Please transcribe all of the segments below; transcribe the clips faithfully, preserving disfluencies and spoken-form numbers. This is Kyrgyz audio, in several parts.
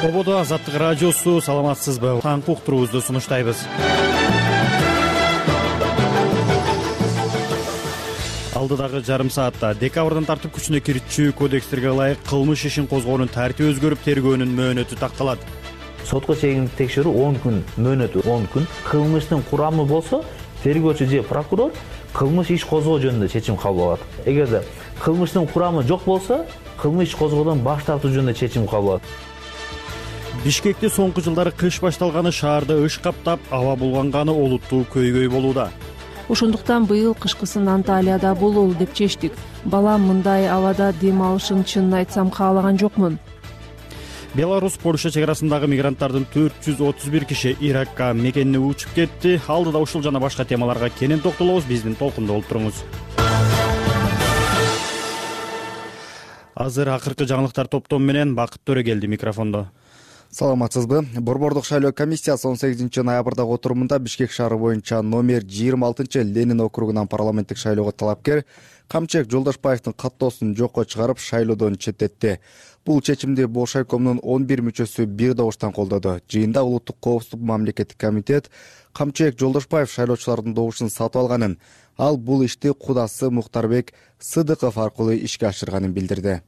Ободо Азаттык радиосу, саламатсызбы? Таңкы уктуруубузду сунуштайбыз. Алдыдагы жарым саатта декабрдан тартып күчүнө кирчү кодекстерге ылайык кылмыш ишин козгоонун тартиби өзгөрүп, тергөөнүн мөөнөтү такталат. Сотко чейинки текшерүү он күн, мөөнөтү он күн. Кылмыштын курамы болсо, тергөөчү же прокурор кылмыш иш козгоо жөнүндө чечим кабыл алат. Эгерде кылмыштын курамы жок болсо, кылмыш иш козгоодон баш тартуу жөнүндө чечим кабыл алат. Бишкекте соңку жылдары кыш башталганы шаарда ыш каптап, аба булганганы олуттуу көйгөй болууда. Ошондуктан быйыл кышкысын Анталияда бололу деп чечтик. Балам мындай абада дем алышын чынын айтсам каалаган жокмун. Беларусь Польша чек арасындагы мигранттардын төрт жүз отуз бир киши Иракка мекенине учуп кетти. Алдыда ушул жана башка темаларга кенен токтолобуз. Биздин толкунда болуп туруңуз. Азыр акыркы жаңылыктар топтому менен Бакыт Төрөгелди микрофондо. Саламатсызбы? Борбордук шайлоо комиссиясы он сегизинчи ноябрдагы отурумунда Бишкек шаары боюнча номер жыйырма алтынчы Ленин округунан парламенттик шайлоого талапкер Камчек Жолдошбаевдин каттоосун жокко чыгарып, шайлоодон четтетти. Бул чечимди Бош айкомдун он бир мүчөсү бир добуштан колдоду. Жыйында Улуттук коопсуздук мамлекеттик комитет Камчек Жолдошбаев шайлоочулардын добушун сатып алганын, ал бул ишти кудасы Мухтарбек Сыдыков аркылуу ишке ашырганын билдирди.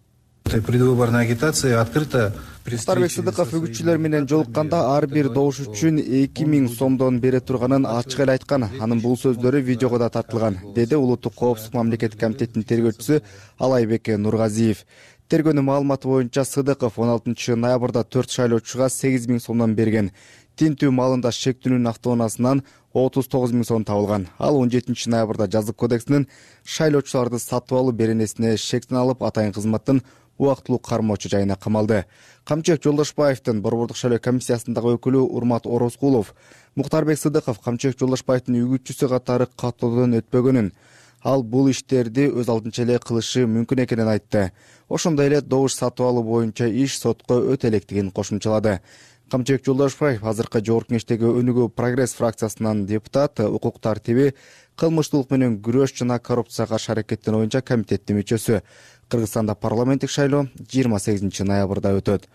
Предвыборная агитация открыта. Мухтарбек Сыдыков үгүтчүлөр менен жолукканда ар бир добуш үчүн эки миң сомдон бере турганын ачык эле айткан. Анын бул сөздөрү видеого да тартылган, деди Улуттук коопсуздук мамлекеттик комитеттин тергөөчүсү Алайбек Нургазиев. Тергөөнүн маалыматы боюнча Сыдыков он алтынчы ноябрда төрт шайлоочуга сегиз миң сомдон берген. Тинтүү малында шектүүнүн автоунаасынан отуз тогуз миң сом табылган. Ал он жетинчи ноябрда жазык кодексинин шайлоочуларды сатып алуу беренесине шектен алып, атайын кызматтын убактылуу кармоочу жайына камалды. Камчек Жолдошбаевдин Борбордук шайлоо комиссиясындагы өкүлү Урмат Орозкулов Мухтарбек Сыдыков Камчек Жолдошбаевдин үгүтчүсү катары каттоодон өтпөгөнүн, ал бул иштерди өз алдынча эле кылышы мүмкүн экенин айтты. Ошондой эле добуш сатып алуу боюнча иш сотко өтө электигин кошумчалады. Камчек Жолдошбаев азыркы жогорку кеңештеги Өнүгүү Прогресс фракциясынан депутат, укук тартиби, кылмыштуулук менен күрөш жана коррупцияга каршы аракеттенүү боюнча комитеттин мүчөсү. Кыргызстанда парламенттик шайлоо жыйырма сегизинчи ноябрда өтөт.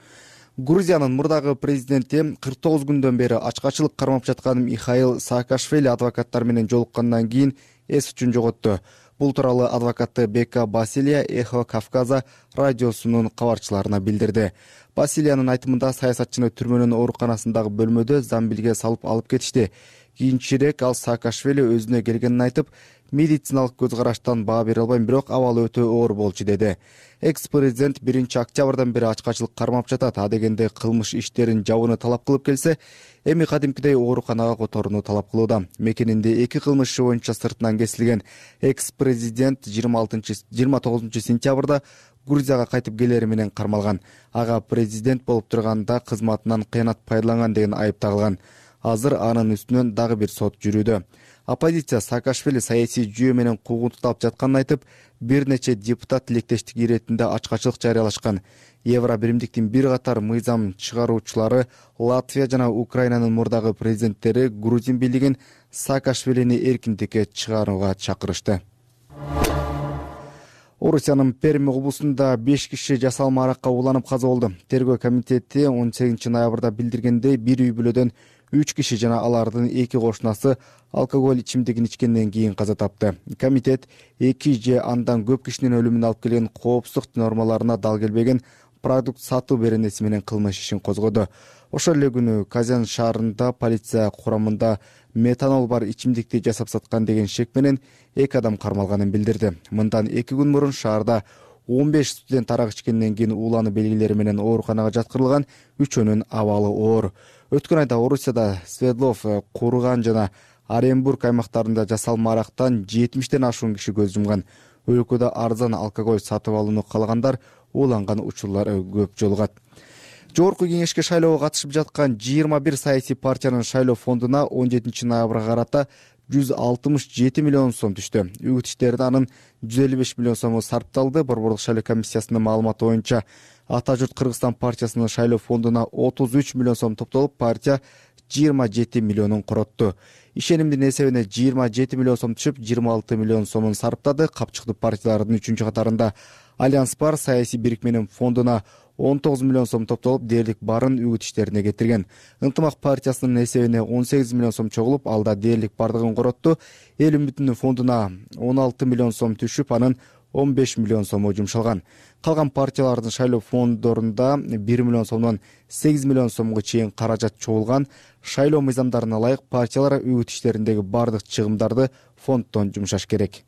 Грузиянын мурдагы президенти кырк тогуз күндөн бери ачкачылык кармап жаткан Михаил Саакашвили адвокаттар менен жолуккандан кийин эс үчүн жоготту. Бул тууралуу адвокаты Бека Басилия Эхо Кавказа радиосунун кабарчыларына билдирди. Басилиянын айтымында саясатчыны түрмөнүн ооруканасындагы бөлмөдө замбилге салып алып кетишти. Кийинчерээк ал Саакашвили өзүнө келгенин айтып, медициналык көз караштан баа бере албайм, бирок абалы өтө оор болчу деди. Экс-президент биринчи октябрдан бери ачкачылык кармап жатат. А дегенде кылмыш иштерин жабууну талап кылып келсе, эми кадимкидей ооруканага которууну талап кылууда. Мекенинде эки кылмыш иши боюнча сыртынан кесилген экс-президент жыйырма тогузунчу сентябрда Грузияга кайтып келери менен кармалган. Ага президент болуп турганда кызматынан кыянат пайдаланган деген айып тагылган. Азыр анын үстүнөн дагы бир сот жүрүүдө. Оппозиция Саакашвили саясий жүйө менен куугунтукталып жатканын айтып, бир нече депутат тилектештик иретинде ачкачылык жарыялашкан. Евро биримдиктин бир катар мыйзам чыгаруучулары Латвия жана Украинанын мурдагы президенттери Грузин бийлигин Саакашвилини эркиндикке чыгарууга чакырышты. Орусиянын Перми облусунда беш киши жасалма аракка уланып каза болду. Тергөө комитети он сегизинчи ноябрда билдиргендей, бир үй бүлөдөн үч киши жана алардын эки кошунасы алкоголь ичимдигин ичкенден кийин каза тапты. Комитет эки же андан көп кишинин өлүмүнө алып келген коопсуздук нормаларына дал келбеген продукт сатуу беренеси менен кылмыш ишин козгоду. Ошол эле күнү Казан шаарында полиция курамында метанол бар ичимдикти жасап саткан деген шек менен эки адам кармалганын билдирди. Мындан эки күн мурун шаарда он беш студент арак ичкенден кийин уулануу белгилери менен ооруканага жаткырылган, үчөөнүн абалы оор. Өткөн айда Орусияда Свердлов, Курган жана Оренбург аймактарында жасалма арактан жетимиштен ашуун киши көз жумган. Өлкөдө арзан алкоголь сатып алууну каалагандар ууланган учурлар көп жолугат. Жогорку кеңешке шайлоого катышып жаткан жыйырма бир саясий партиянын шайлоо фондуна он жетинчи ноябрга карата жүз алтымыш жети миллион сом түштү. Үгүт иштерине анын жүз элүү беш миллион сому сарпталды. Борбордук шайлоо комиссиясынын маалыматы боюнча Ата журт Кыргызстан партиясынын шайлоо фондуна отуз үч миллион сом топтолуп, партия жыйырма жети миллионун коротту. Ишенимдин эсебине жыйырма жети миллион сом түшүп, жыйырма алты миллион сомун сарптады. Капчыктуу партиялардын үчүнчү катарында Альянс бар саясий бирикменин фондуна он тогуз миллион сом топтолуп, дээрлик барын үгүт иштерине кетирген. Ынтымак партиясынын эсебине он сегиз миллион сом чогулуп, ал да дээрлик бардыгын коротту. Эл үмүтүнүн фондуна он алты миллион сом түшүп, анын он беш миллион сому жумшалган. Калган партиялардын шайлоо фонддорунда бир миллион сомдон сегиз миллион сомго чейин каражат чогулган. Шайлоо мыйзамдарына ылайык партиялар үгүт иштериндеги бардык чыгымдарды фонддон жумшаш керек.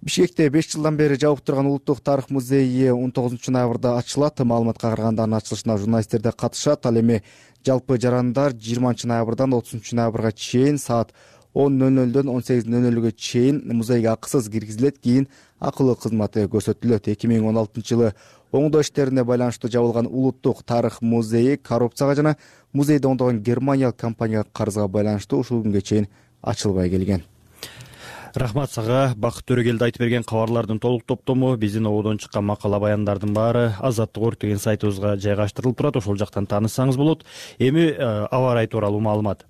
Бишкекте беш жылдан бери жабык турган Улуттук тарых музейи он тогузунчу ноябрда ачылат. Маалыматка караганда анын ачылышына журналисттер да катышат. Ал эми жалпы жарандар жыйырманчы ноябрдан отузунчу ноябрга чейин саат он ноль нолдон он сегиз ноль нолго чейин музейге акысыз киргизилет. Кийин акылуу кызматы көрсөтүлөт. эки миң он алтынчы жылы оңдоо иштерине байланыштуу жабылган Улуттук тарых музейи коррупцияга жана музейде ондогон германиялык компанияга карызга байланыштуу ушул күнгө чейин ачылбай келген. Рахмат сага. Бакыт Төрөгелди айтып берген кабарлардын толук топтому биздин ободон чыккан макала баяндардын баары Азаттык орг деген сайтыбызга жайгаштырылып турат. Ошол жактан таанышсаңыз болот. Эми аба ырайы тууралуу маалымат.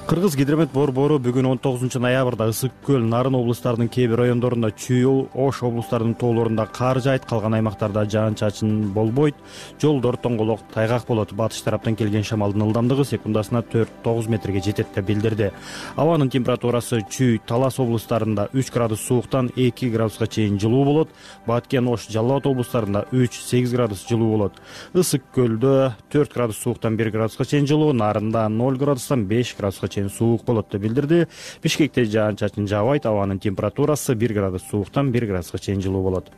Кыргыз гидромет борбору бүгүн он тогузунчу ноябрда Ысык көл, Нарын облустарынын кээ бир райондорунда Чүй, Ош облустарынын тоолорунда кар жаайт, калган аймактарда жаан-чачын болбойт, жолдор тоңголок, тайгак болот. Батыш тараптан келген шамалдын ылдамдыгы секундасына төрт тогуз метрге жетет деп билдирди. Абанын температурасы Чүй, Талас облустарында үч градус сууктан эки градуска чейин жылуу болот. Баткен, Ош, Жалал Абад облустарында үч сегиз градус жылуу болот. Ысык көлдө төрт градус сууктан бир градуска чейин жылуу, Нарында ноль градустан беш градуска суук болот деп билдирди. Бишкекте жаан-чачын жаабайт, абанын температурасы бир градус сууктан бир градуска чейин жылуу болот.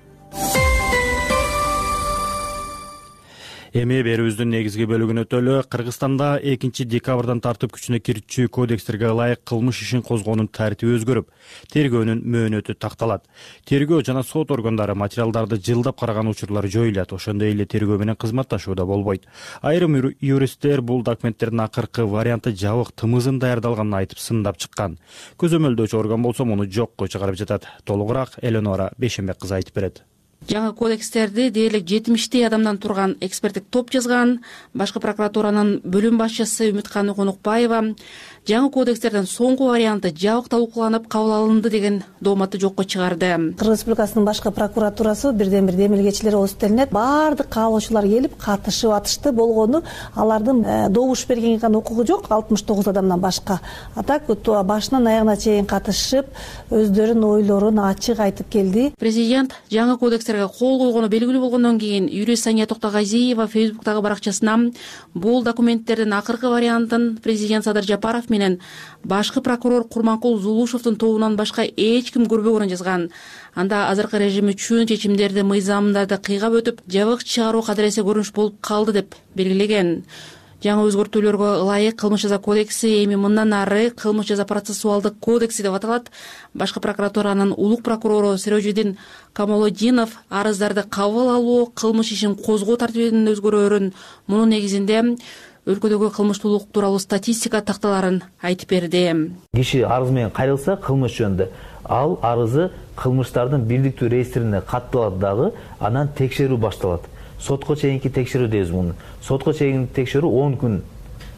Эми берүүбүздүн негизги бөлүгүнө өтөлү. Кыргызстанда экинчи декабрдан тартып күчүнө кирчү кодекстерге ылайык кылмыш ишин козгоонун тартиби өзгөрүп, тергөөнүн мөөнөтү такталат. Тергөө жана сот органдары материалдарды жылдап караган учурлар жоюлат. Ошондой эле тергөө менен кызматташуу да болбойт. Айрым юристтер бул документтердин акыркы варианты жабык тымызын даярдалганын айтып сындап чыккан. Көзөмөлдөөчү орган болсо муну жокко чыгарып жатат. Толугураак Эленора Бейшенбек кызы айтып берет. Жаңы кодекстерди дээрлик жетимиштей адамдан турган эксперттик топ жазган. Башкы прокуратуранын бөлүм башчысы Үмүткан Конукбаева жаңы кодекстердин соңку варианты жабык талкууланып кабыл алынды деген дооматты жокко чыгарды. Кыргыз Республикасынын башкы прокуратурасы бирден бир демилгечилер болуп үстөлүнөт. Баардык каалоочулар келип катышып атышты болгону, алардын добуш бергенге гана укугу жок, алтымыш тогуз адамдан башка. А так башынан аягына чейин катышып, өздөрүнүн ойлорун ачык айтып келди. Президент жаңы кодекстерге кол койгону белгилүү болгондон кийин юрист Сания Токтогазиева Фейсбуктагы баракчасына бул документтердин акыркы вариантын президент Садыр Жапаров менен башкы прокурор Курманкул Зулушевдун тобунан башка эч ким көрбөгөнүн жазган. Анда азыркы режим үчүн чечимдерди мыйзамдарды кыйгап өтүп, жабык чыгаруу кадыресе көрүнүш болуп калды деп белгилеген. Жаңы өзгөртүүлөргө ылайык кылмыш жаза кодекси эми мындан ары кылмыш жаза процессуалдык кодекси деп аталат. Башкы прокуратуранын улук прокурору Серожидин Камолоддинов арыздарды кабыл алуу, кылмыш ишин козгоо тартибинин өзгөрөөрүн, мунун негизинде өлкөдөгү кылмыштуулук тууралуу статистика такталарын айтып берди. Киши арыз менен кайрылса кылмыш жөнүндө, ал арызы кылмыштардын бирдиктүү реестрине катталат дагы, анан текшерүү башталат. Сотко чейинки текшерүү дейбиз муну. Сотко чейинки текшерүү он күн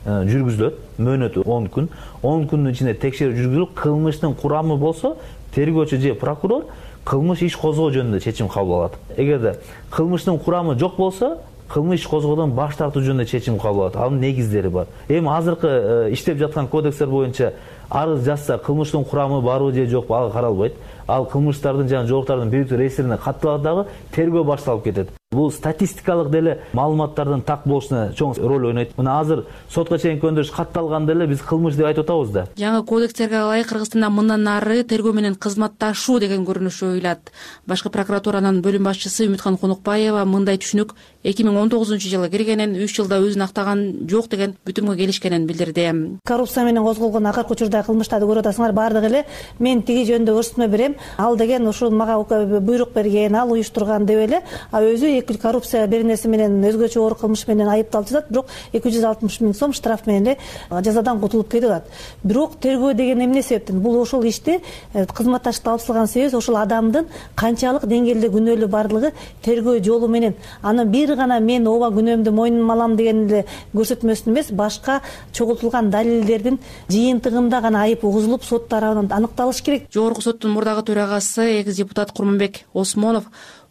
жүргүзүлөт, мөөнөтү он күн. он күндүн ичинде текшерүү жүргүзүлүп, кылмыштын курамы болсо, тергөөчү же прокурор кылмыш иш козгоо жөнүндө чечим кабыл алат. Эгерде кылмыштын курамы жок болсо, кылмыш иш козгоодон баш тартуу жөнүндө чечим кабыл алат. Анын негиздери бар. Эми азыркы иштеп жаткан кодекстер боюнча арыз жазса кылмыштын курамы барбы же жокпу ага каралбайт. Ал кылмыштардын жана жоктардын бирдиктүү реестрине катталат дагы, тергөө башталып кетет. Бул статистикалык деле маалыматтардын так болушуна чоң роль ойнойт. Мына азыр сотко чейинки өндүрүш катталганда эле биз кылмыш деп айтып атабыз да. Жаңы кодекстерге ылайык Кыргызстанда мындан ары тергөө менен кызматташуу деген көрүнүш ойлот. Башкы прокуратуранын бөлүм башчысы Үмүткан Конукбаева мындай түшүнүк эки миң он тогузунчу жылы киргенин, үч жылда өзүн актаган жок деген бүтүмгө келишкенин билдирди. Коррупция менен козголгон акыркы учурдагы кылмыштарды көрүп атасыңар, баардыгы эле мен тиги жөнүндө көрсөтмө берем, ал деген ушул мага буйрук берген, ал уюштурган деп эле, а өзү эки коррупция бир нерсе менен өзгөчө оор кылмыш менен айыпталып жатат, бирок эки жүз алтымыш миң сом штраф менен эле жазадан кутулуп кетип атат. Бирок тергөө деген эмне себептен? Бул ошол иште кызматташты алып себеби ошол адамдын канчалык деңгээлде күнөөлүү барлыгы тергөө жолу менен. Анан бир гана мен ооба күнөөмдү мойнума алам деген эле көрсөтмөсүн эмес, башка чогултулган далилдердин жыйынтыгында гана айып угузулуп сот тарабынан аныкталыш керек. Жогорку соттун мурдагы төрагасы экс депутат Курманбек Осмонов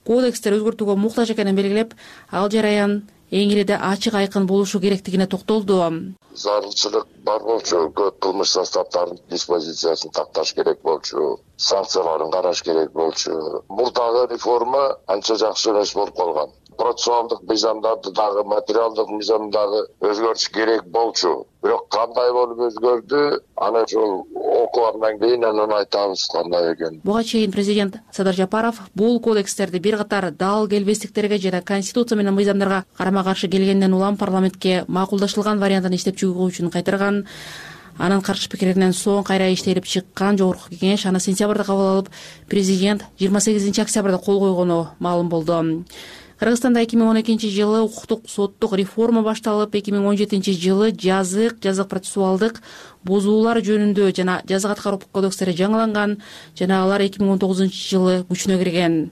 кодекстер өзгөртүүгө муктаж экенин белгилеп, ал жараян эң эле ачык айкын болушу керектигине токтолду. Зарылчылык бар болчу, көп кылмыш составдарын диспозициясын такташ керек болчу, санкцияларын караш керек болчу. Мурдагы реформа анча жакшы эмес болуп калган. Процессуалдык мыйзамдарды дагы, материалдык мыйзамдагы өзгөртүш керек болчу. Бирок кандай болуп өзгөрдү, аны ошол окугандан кийин анан айтабыз кандай экенин. Буга чейин президент Садыр Жапаров бул кодекстерди бир катар дал келбестиктерге жана конституция менен мыйзамдарга карама-каршы келгенден улам парламентке макулдашылган вариантын иштеп чыгуу үчүн кайтарган. Анын каршы пикиринен соң кайра иштелип чыккан жогорку кеңеш аны сентябрда кабыл алып, президент жыйырма сегизинчи октябрда кол койгону маалым болду. Кыргызстанда эки миң он экинчи жылы укуктук соттук реформа башталып, эки миң он жетинчи жылы жазык, жазык процессуалдык бузуулар жөнүндө жана жазык аткаруу кодекстери жаңыланган жана алар эки миң он тогузунчу жылы күчүнө кирген.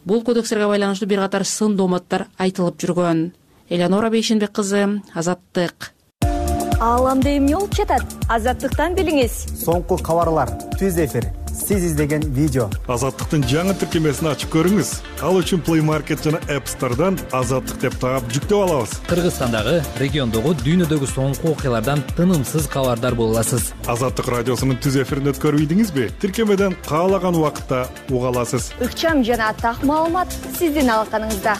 Бул кодекстерге байланыштуу бир катар сын дооматтар айтылып жүргөн. Элеонора Бейшенбек кызы, Азаттык. Ааламда эмне болуп жатат? Азаттыктан билиңиз. Соңку кабарлар, түз эфир, сиз издеген видео. Азаттыктын жаңы тиркемесин ачып көрүңүз. Ал үчүн Play Market жана App Store'дан Азаттык деп таап жүктөп алабыз. Кыргызстандагы, региондогу, дүйнөдөгү соңку окуялардан тынымсыз кабардар боло аласыз. Азаттык радиосунун түз эфирин өткөрбөйдүңүзбү? Тиркемеден каалаган убакытта уга аласыз. Ыкчам жана так маалымат сиздин алаканыңызда.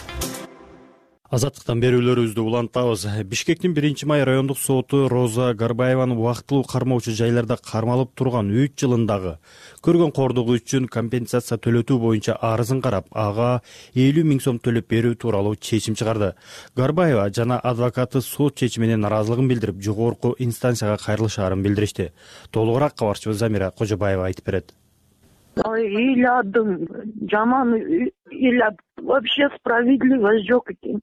Азаттыктан берүүлөрүбүздү улантабыз. Бишкектин биринчи май райондук соту Роза Гарбаеваны убактылуу кармоочу жайларда кармалып турган үч жылындагы көргөн кордугу үчүн компенсация төлөтүү боюнча арызын карап, ага элүү миң сом төлөп берүү тууралуу чечим чыгарды. Гарбаева жана адвокаты сот чечимине наразылыгын билдирип, жогорку инстанцияга кайрылышаарын билдиришти. Толугураак кабарчыбыз Замира Кожобаева айтып берет. Ыйладым, жаман ыйлап, вообще справедливость жок экен.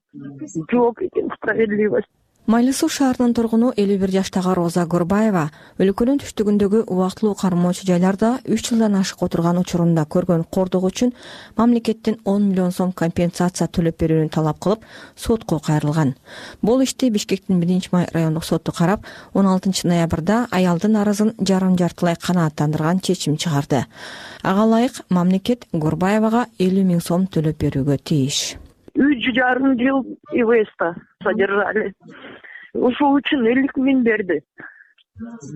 Жок экен справедливость. Майлы Суу шаарынын тургуну элүү бир жаштагы Роза Горбаева өлкөнүн түштүгүндөгү убактылуу кармоочу жайларда үч жылдан ашык отурган учурунда көргөн кордугу үчүн мамлекеттен он миллион сом компенсация төлөп берүүнү талап кылып, сотко кайрылган. Бул ишти Бишкектин биринчи май райондук соту карап, он алтынчы ноябрда аялдын арызын жарым жартылай канааттандырган чечим чыгарды. Ага ылайык мамлекет Горбаевага элүү миң сом төлөп берүүгө тийиш. Үч жарым жыл ИВСта содержали. Ушул үчүн элүү миң берди.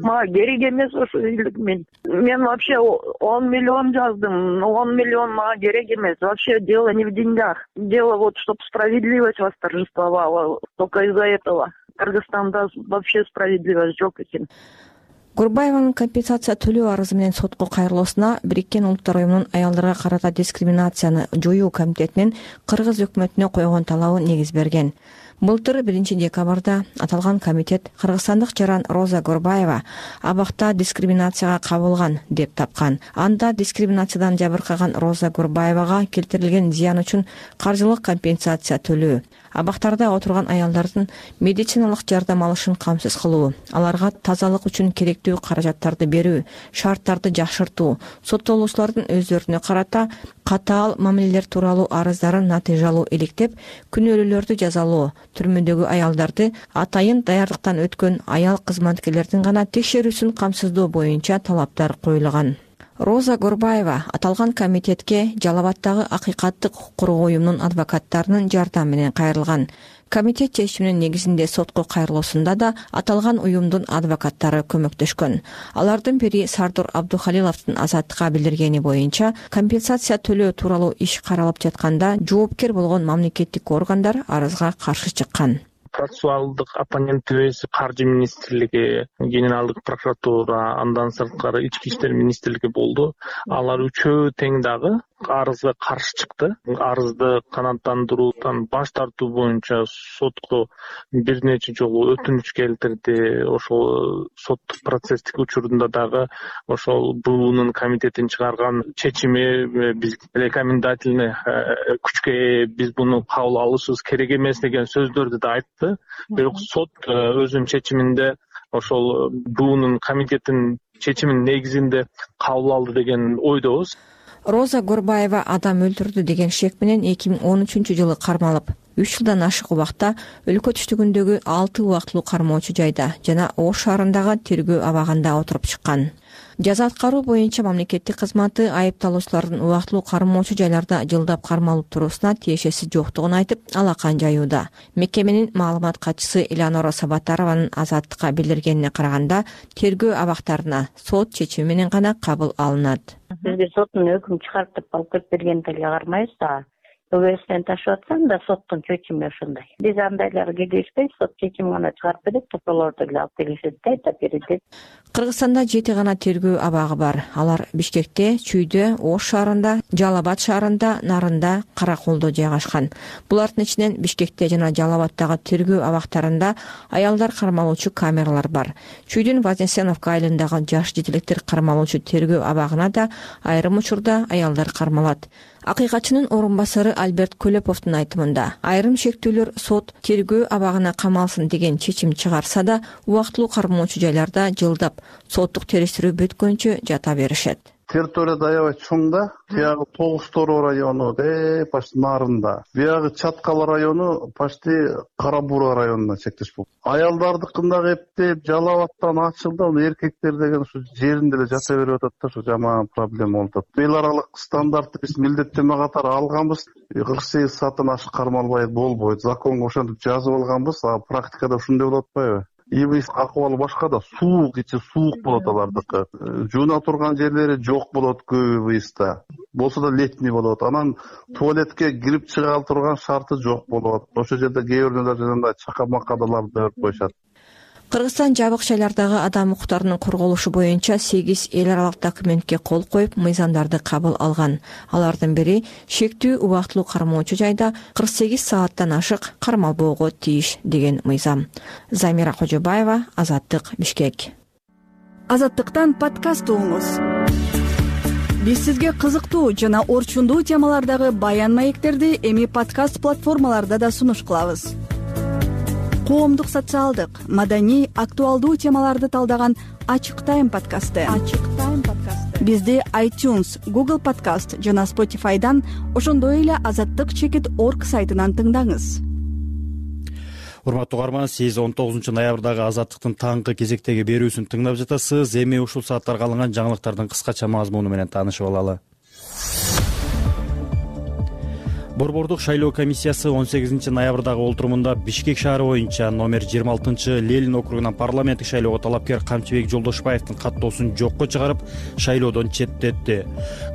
Мага керек эмес ошо элүү миң. Мен вообще он миллион жаздым, он миллион мага керек эмес. Вообще дело не в деньгах. Дело вот, чтобы справедливость восторжествовала. Только из-за этого. Кыргызстанда вообще справедливость жок экен. Горбаеванын компенсация төлөө арызы менен сотко кайрылуусуна Бириккен Улуттар уюмунун аялдарга карата дискриминацияны жоюу комитетинин Кыргыз өкмөтүнө койгон талабы негиз берген. Былтыр биринчи декабрда аталган комитет кыргызстандык жаран Роза Горбаева абакта дискриминацияга кабылган деп тапкан. Анда дискриминациядан жабыркаган Роза Горбаевага келтирилген зыян үчүн каржылык компенсация төлөө, абактарда отурган аялдардын медициналык жардам алышын камсыз кылуу, аларга тазалык үчүн керектүү каражаттарды берүү, шарттарды жакшыртуу, соттолуучулардын өздөрүнө карата катаал мамилелер тууралуу арыздарын натыйжалуу иликтеп, күнөөлүүлөрдү жазалоо, түрмөдөгү аялдарды атайын даярдыктан өткөн аял кызматкерлердин гана текшерүүсүн камсыздоо боюнча талаптар коюлган. Роза Горбаева аталган комитетке Жалал Абаддагы Акыйкаттык укук коргоо уюмунун адвокаттарынын жардамы менен кайрылган. Комитет чечиминин негизинде сотко кайрылуусунда да аталган уюмдун адвокаттары көмөктөшкөн. Алардын бири Сардор Абдухалиловдун Азаттыкка билдиргени боюнча, компенсация төлөө тууралуу иш каралып жатканда жоопкер болгон мамлекеттик органдар арызга каршы чыккан. Процессуалдык оппонентибиз Каржы министрлиги, Генералдык прокуратура, андан сырткары Ички иштер министрлиги болду. Алар үчөө тең дагы арызга каршы чыкты. Арызды канааттандыруудан баш тартуу боюнча сотко бир нече жолу өтүнүч келтирди. Ошол соттук процесстик учурунда дагы ошол буунун комитетин чыгарган чечими биз рекомендательный күчкө ээ, биз буну кабыл алышыбыз керек эмес деген сөздөрдү да айтты. Бирок сот өзүнүн чечиминде ошол буунун комитетинин чечиминин негизинде кабыл алды деген ойдобуз. Роза Горбаева адам өлтүрдү деген шек менен эки миң он үчүнчү жылы кармалып, үч жылдан ашык убакта өлкө түштүгүндөгү алты убактылуу кармоочу жайда жана Ош шаарындагы тергөө абагында отуруп чыккан. Жаза аткаруу боюнча мамлекеттик кызматы айыпталуучулардын убактылуу кармоочу жайларда жылдап кармалып туруусуна тиешеси жоктугун айтып, алакан жаюуда. Мекеменин маалымат катчысы Элеонора Сабатарованын Азаттыкка билдиргенине караганда, тергөө абактарына сот чечими менен гана кабыл алынат. Бизге соттун өкүм чыгарып деп алып келип бергенге кармайбыз да. ОБСтен ташып атсам да соттун чечими ошондой. Биз андайларга келишпейбиз, сот чечими гана чыгарып берет, ошолорду эле алып келишет да, айтып берет. Кыргызстанда жети гана тергөө абагы бар. Алар Бишкекте, Чүйдө, Ош шаарында, Жалал Абад шаарында, Нарында, Караколдо жайгашкан. Булардын ичинен Бишкекте жана Жалал Абадтагы тергөө абактарында аялдар кармалуучу камералар бар. Чүйдүн Вознесеновка айылындагы жаш жетелектер кармалуучу тергөө абагына да айрым учурда аялдар кармалат. Акыйкатчынын орун басары Альберт Көлөповдун айтымында, айрым шектүүлөр сот тергөө абагына камалсын деген чечим чыгарса да, убактылуу кармоочу жайларда жылдап соттук териштирүү бүткөнчө жата беришет. Территория аябай чоң да, тиягы Тогуз Тороо району де почти Нарында. Биягы Чаткал району почти Кара-Бура районуна чектеш болду. Аялдардыкында эптеп Жалал Абадтан ачылды, эркектер деген ушу жеринде эле жата берип атат да, ушу жаман проблема болуп атат. Эл аралык стандартты биз милдеттенме катары алганбыз. кырк сегиз сааттан ашык кармалбай болбойт. Законго ошентип жазып алганбыз, а практикада ушундай болуп атпайбы? ИБС акыбалы башка да, суук, ичи суук болот алардыкы. Жууна турган жерлери жок болот көбү ИБСта. Болсо да летний болот. Анан туалетке кирип чыга турган шарты жок болот. Ошол жерде кээ биринде жана чака-макадаларды өрүп коюшат. Кыргызстан жабык шайлардагы адам укуктарынын корголушу боюнча сегиз эл аралык документке кол коюп, мыйзамдарды кабыл алган. Алардын бири шектүү убактылуу кармоочу жайда кырк сегиз сааттан ашык кармалбоого тийиш деген мыйзам. Замира Кожобаева, Азаттык, Бишкек. Азаттыктан подкаст угуңуз. Биз сизге кызыктуу жана орчундуу темалардагы баян маектерди эми подкаст платформаларда да сунуш кылабыз. Коомдук, социалдык, маданий, актуалдуу темаларды талдаган Ачык Тайм подкасты. Ачык Тайм подкасты. Бизди iTunes, Google Podcast жана Spotify'дан, ошондой эле азаттык чекит орг сайтынан тыңдаңыз. Урматтуу угарман, сиз он тогузунчу ноябрдагы Азаттыктын таңкы кезектеги берүүсүн тыңдап жатасыз. Эми ушул сааттарга алынган жаңылыктардын кыскача мазмуну менен таанышып алалы. Борбордук шайлоо комиссиясы он сегизинчи ноябрдагы олтурумунда Бишкек шаары боюнча номер жыйырма алтынчы Ленин округунан парламенттик шайлоого талапкер Камчыбек Жолдошбаевдин каттоосун жокко чыгарып, шайлоодон четтетти.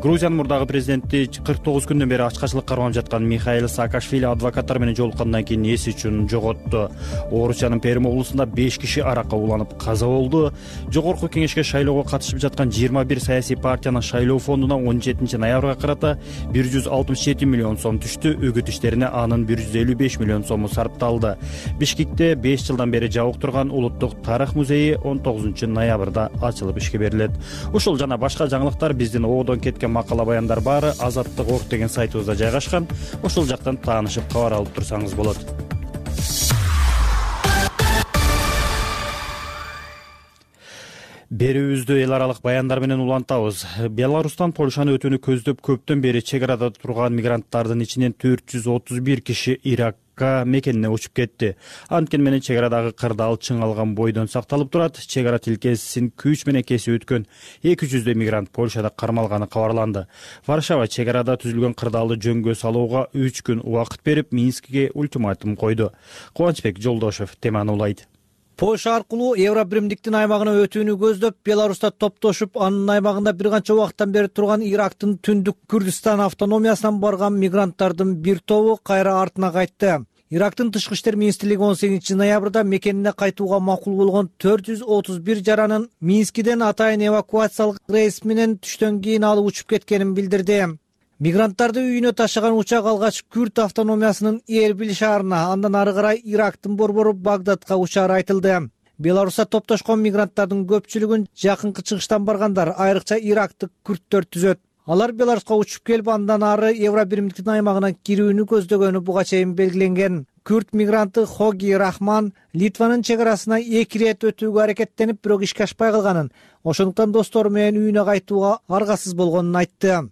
Грузиянын мурдагы президенти кырк тогуз күндөн бери ачкачылык кармап жаткан Михаил Саакашвили адвокаттар менен жолуккандан кийин эси үчүн жоготту. Орусиянын Перим облусунда беш киши аракка уланып каза болду. Жогорку кеңешке шайлоого катышып жаткан жыйырма бир саясий партиянын шайлоо фондуна он жетинчи ноябрга карата бир жүз алтымыш жети миллион сом түштү. Үгүт иштерине анын бир жүз элүү беш миллион сому сарпталды. Бишкекте беш жылдан бери жабык турган Улуттук тарых музейи он тогузунчу ноябрда ачылып ишке берилет. Ушул жана башка жаңылыктар биздин оодон кеткен макала баяндар баары азаттык орг деген сайтыбызда жайгашкан. Ошол жактан таанышып кабар алып турсаңыз болот. Берүүбүздү эл аралык баяндар менен улантабыз. Беларустан Польшаны өтүүнү көздөп көптөн бери чек арада турган мигранттардын ичинен төрт жүз отуз бир киши Иракка мекенине учуп кетти. Анткени менен чек арадагы кырдаал чың алган бойдон сакталып турат. Чек ара тилкесин күч менен кесип өткөн эки жүздөй мигрант Польшада кармалганы кабарланды. Варшава чек арада түзүлгөн кырдаалды жөнгө салууга үч күн убакыт берип, Минскке ультиматум койду. Кубанычбек Жолдошев теманы улайт. Польша аркылуу Евробиримдиктин аймагына өтүүнү көздөп, Беларуста топтошуп, анын аймагында бир канча убакыттан бери турган Ирактын түндүк Күрдистан автономиясынан барган мигранттардын бир тобу кайра артына кайтты. Ирактын тышкы иштер министрлиги он сегизинчи ноябрда мекенине кайтууга макул болгон төрт жүз отуз бир жаранын Минскиден атайын эвакуациялык рейс менен түштөн кийин алып учуп кеткенин билдирди. Мигранттарды үйүнө ташыган учак алгач Күрд автономиясынын Эрбил шаарына, андан ары карай Ирактын борбору Багдадка учаары айтылды. Беларуста топтошкон мигранттардын көпчүлүгүн жакынкы чыгыштан баргандар, айрыкча ирактык күрдтөр түзөт. Алар Беларуска учуп келип, андан ары Евробиримдиктин аймагына кирүүнү көздөгөнү буга чейин белгиленген. Күрд мигранты Хоги Рахман Литванын чек арасына эки ирет өтүүгө аракеттенип, бирок ишке ашпай калганын, ошондуктан достору менен үйүнө кайтууга аргасыз болгонун айтты.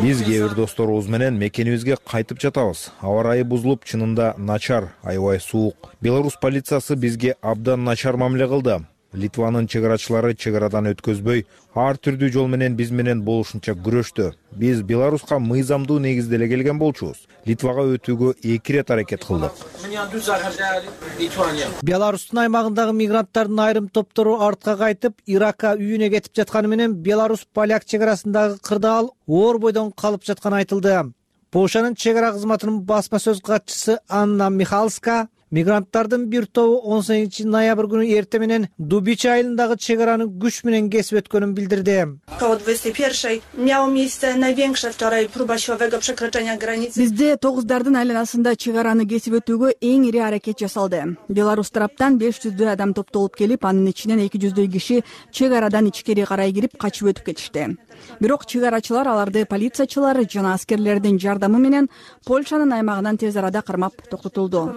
Биз кээ бир досторубуз менен мекенибизге кайтып жатабыз. Аба ырайы бузулуп, чынында начар, аябай суук. Беларусь полициясы бизге абдан начар мамиле кылды. Литванын чек арачылары чек арадан өткөзбөй, ар түрдүү жол менен биз менен болушунча күрөштү. Биз Беларуска мыйзамдуу негизде эле келген болчубуз. Литвага өтүүгө эки ирет аракет кылдык. Беларустун аймагындагы мигранттардын айрым топтору артка кайтып, Иракка үйүнө кетип жатканы менен Беларусь-Поляк чек арасындагы кырдаал оор бойдон калып жатканы айтылды. Полшанын чек ара кызматынын басма сөз катчысы Анна Михалска мигранттардын бир тобу он сегизинчи ноябрь күнү эртең менен Дубич айылындагы чек араны күч менен кесип өткөнүн билдирди. Бизде тогуздардын айланасында чек араны кесип өтүүгө эң ири аракет жасалды. Беларусь тараптан беш жүздөй адам топтолуп келип, анын ичинен эки жүздөй киши чек арадан ичкери карай кирип качып өтүп кетишти. Бирок чек арачылар аларды полициячылар жана аскерлердин жардамы менен Польшанын аймагынан тез арада кармап токтотулду.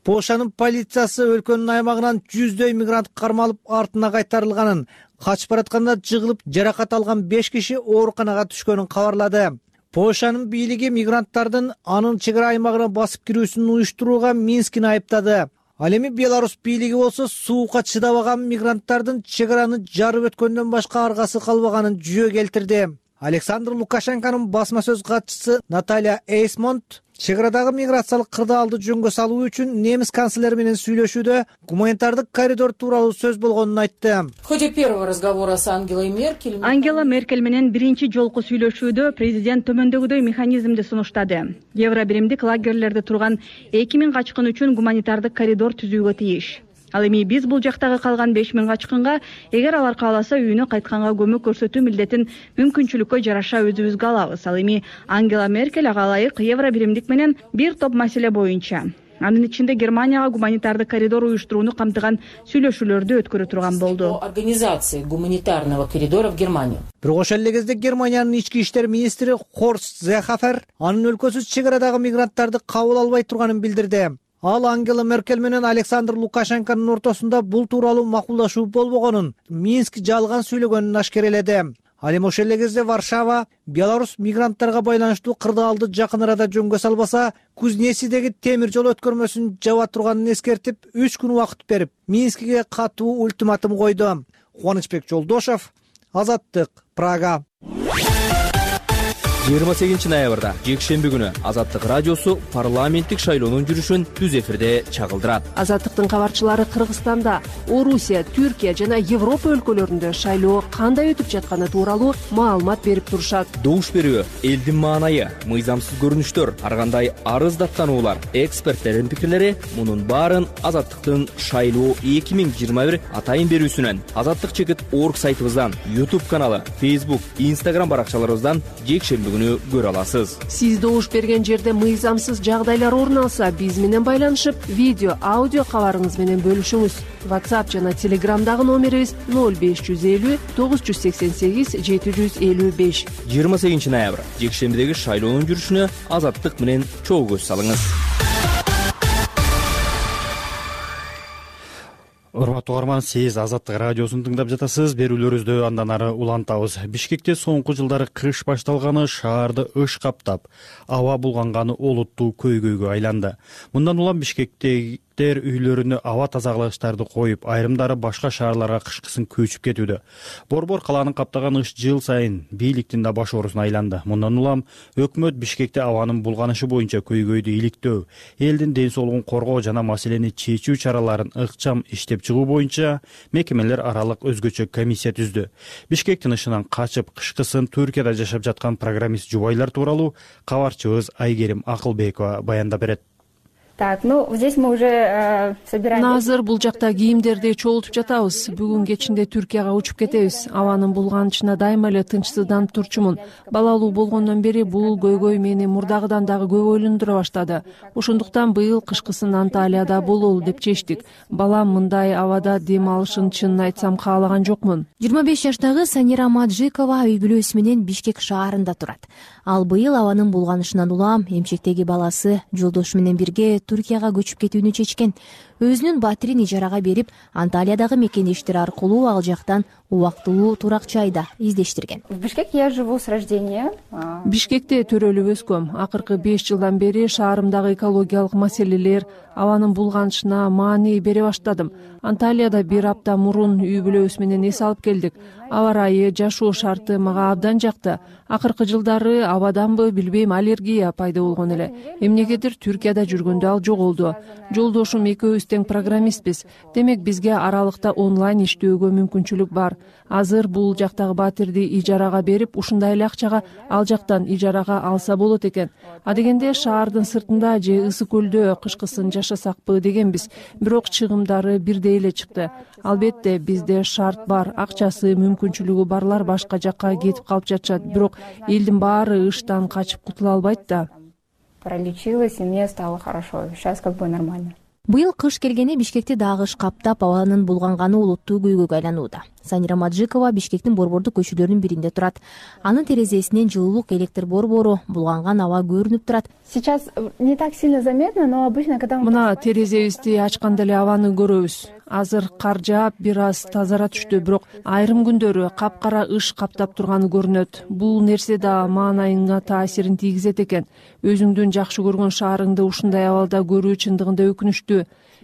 Полшанын полициясы өлкөнүн аймагынан жүздөй мигрант кармалып артына кайтарылганын, качып баратканда жыгылып жаракат алган беш киши ооруканага түшкөнүн кабарлады. Полшанын бийлиги мигранттардын анын чек ара аймагына басып кирүүсүн уюштурууга Минскини айыптады. Ал эми Беларусь бийлиги болсо суукка чыдабаган мигранттардын чек араны жарып өткөндөн башка аргасы калбаганын жүйө келтирди. Александр Лукашенконун басма сөз катчысы Наталья Эйсмонт чек арадагы миграциялык кырдаалды жөнгө салуу үчүн немис канцлери менен сүйлөшүүдө гуманитардык коридор тууралуу сөз болгонун айтты. В ходе первого разговора с Ангелой Меркель Ангела Меркель менен биринчи жолку сүйлөшүүдө президент төмөндөгүдөй механизмди сунуштады. Евробиримдик лагерлерде турган эки миң качкын үчүн гуманитардык коридор түзүүгө тийиш. Ал эми биз бул жактагы калган беш миң качкынга, эгер алар кааласа, үйүнө кайтканга көмөк көрсөтүү милдетин мүмкүнчүлүккө жараша өзүбүзгө алабыз. Ал эми Ангела Меркель ага ылайык Евробиримдик менен бир топ маселе боюнча, анын ичинде Германияга гуманитардык коридор уюштурууну камтыган сүйлөшүүлөрдү өткөрө турган болду. Организации гуманитарного коридора в Германию. Бирок ошол эле кезде Германиянын ички иштер министри Хорст Зехафер анын өлкөсү чек арадагы мигранттарды кабыл албай турганын билдирди. Ал Ангела Меркель менен Александр Лукашенконун ортосунда бул тууралуу макулдашуу болбогонун, Минск жалган сүйлөгөнүн ашкереледи. Ал эми ошол эле кезде Варшава Беларусь мигранттарга байланыштуу кырдаалды жакын арада жөнгө салбаса, Кузнецидеги темир жол өткөрмөсүн жаба турганын эскертип, үч күн убакыт берип, Минскиге катуу ультиматум койду. Кубанычбек Жолдошов, Азаттык, Прага. жыйырма сегизинчи ноябрда жекшемби күнү Азаттык радиосу парламенттик шайлоонун жүрүшүн түз эфирде чагылдырат. Азаттыктын кабарчылары Кыргызстанда, Орусия, Түркия жана Европа өлкөлөрүндө шайлоо кандай өтүп жатканы тууралуу маалымат берип турушат. Добуш берүү, элдин маанайы, мыйзамсыз көрүнүштөр, ар кандай арыз даттануулар, эксперттердин пикирлери — мунун баарын Азаттыктын шайлоо эки миң жыйырма бир атайын берүүсүнөн, Азаттык чекит орг сайтыбыздан, YouTube каналы, Facebook, Instagram баракчаларыбыздан жекшемби күнү көрө аласыз. Сиз добуш берген жерде мыйзамсыз жагдайлар орун алса, биз менен байланышып, видео, аудио кабарыңыз менен бөлүшүңүз. WhatsApp жана Telegramдагы номерибиз ноль беш жүз элүү тогуз жүз сексен сегиз жети жүз элүү беш. жыйырма сегизинчи ноябрь жекшембидеги шайлоонун жүрүшүнө Азаттык менен чогуу көз салыңыз. Урматтуу угарман, сиз Азаттык радиосун тыңдап жатасыз. Берүүлөрүбүздү андан ары улантабыз. Бишкекте соңку жылдары кыш башталганы шаарды ыш каптап, аба булганганы олуттуу көйгөйгө айланды. Мындан улам Бишкектеги үйлөрүнө аба тазалагычтарды коюп, айрымдары башка шаарларга кышкысын көчүп кетүүдө. Борбор калааны каптаган ыш жыл сайын бийликтин да баш оорусуна айланды. Мындан улам өкмөт Бишкекте абанын булганышы боюнча көйгөйдү иликтөө, элдин ден соолугун коргоо жана маселени чечүү чараларын ыкчам иштеп чыгуу боюнча мекемелер аралык өзгөчө комиссия түздү. Бишкектин ышынан качып, кышкысын Түркияда жашап жаткан программист жубайлар тууралуу кабарчыбыз Айгерим Акылбекова баяндап берет. Так, ну здесь мы уже собираем. Азыр бул жакта кийимдерди чогултуп жатабыз. Бүгүн кечинде Түркияга учуп кетебиз. Абанын булганычына дайыма эле тынчсызданып турчумун. Балалуу болгондон бери бул көйгөй мени мурдагыдан дагы көп ойлондура баштады. Ошондуктан быйыл кышкысын Анталияда бололу деп чечтик. Балам мындай абада дем алышын чынын айтсам каалаган жокмун. жыйырма беш жаштагы Санира Маджикова үй бүлөсү менен Бишкек шаарында турат. Ал быйыл абанын булганышынан улам эмчектеги баласы жолдошу менен бирге Түркияга көчүп кетүүнү чечкен. Өзүнүн батирин ижарага берип, Анталиядагы мекендештери аркылуу ал жактан убактылуу турак жайда издештирген. В Бишкек я живу с рождения. Бишкекте төрөлүп өскөм. Акыркы беш жылдан бери шаарымдагы экологиялык маселелер, абанын булганышына маани бере баштадым. Анталияда бир апта мурун үй бүлөбүз менен эс алып келдик. Аба ырайы, жашоо шарты мага абдан жакты. Акыркы жылдары абаданбы билбейм, аллергия пайда болгон эле. Эмнегедир Түркияда жүргөндө ал жоголду. Жолдошум экөөбүз тең программистпиз. Демек бизге аралыкта онлайн иштөөгө мүмкүнчүлүк бар. Азыр бул жактагы батирди ижарага берип, ушундай эле акчага ал жактан ижарага алса болот экен. Адегенде шаардын сыртында же ысык көлдө кышкысын жашасакпы дегенбиз. Бирок чыгымдары бирдей эле чыкты. Албетте бизде шарт бар, акчасы, мүмкүнчүлүгү барлар башка жакка кетип калып жатышат. Бирок элдин баары ыштан качып кутула албайт да. Пролечилась, и мне стало хорошо. Сейчас как бы нормально. Быйыл кыш келгени Бишкекти дагы ыш каптап, абанын булганганы улуттуу көйгөйгө айланууда. Санира Маджикова Бишкектин борбордук көчөлөрүнүн биринде турат. Анын терезесинен жылуулук электр борбору, булганган аба көрүнүп турат. Сейчас не так сильно заметно, но обычно когда мы... Мына терезебизди ачканда эле абаны көрөбүз. Азыр кар жаап, бир аз тазара түштү, бирок айрым күндөрү капкара ыш каптап турганы көрүнөт. Бул нерсе да маанайыңа таасирин тийгизет экен. Өзүңдүн жакшы көргөн шаарыңды ушундай абалда көрүү чындыгында өкүнүчтүү.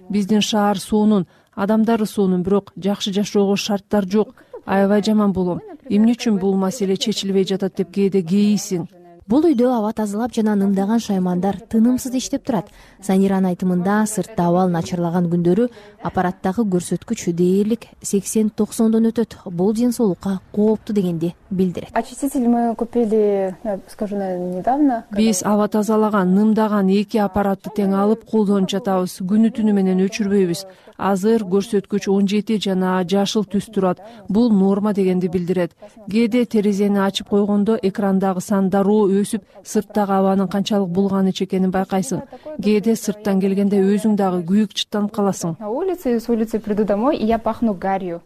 Биздин шаар сонун, адамдары сонун, бирок жакшы жашоого шарттар жок. Аябай жаман болом. Эмне үчүн бул маселе чечилбей жатат деп кээде кейисиң. Бул үйдө аба тазалап жана нымдаган шаймандар тынымсыз иштеп турат. Саниранын айтымында сыртта абал начарлаган күндөрү аппараттагы көрсөткүч дээрлик сексен токсондон өтөт. Бул ден соолукка кооптуу дегенди билдирет. Очиститель мы купили, я скажу, недавно. Биз аба тазалаган, нымдаган эки аппаратты тең алып колдонуп жатабыз. Күнү түнү менен өчүрбөйбүз. Азыр көрсөткүч он жети жана жашыл түс турат. Бул норма дегенди билдирет. Кээде терезени ачып койгондо экрандагы сан дароо өсүп, сырттагы абанын канчалык булганы экенин байкайсың. Кээде сырттан келгенде өзүң дагы күйүк чыттанып каласың. На улице, с улицы приду домой, и я пахну гарью.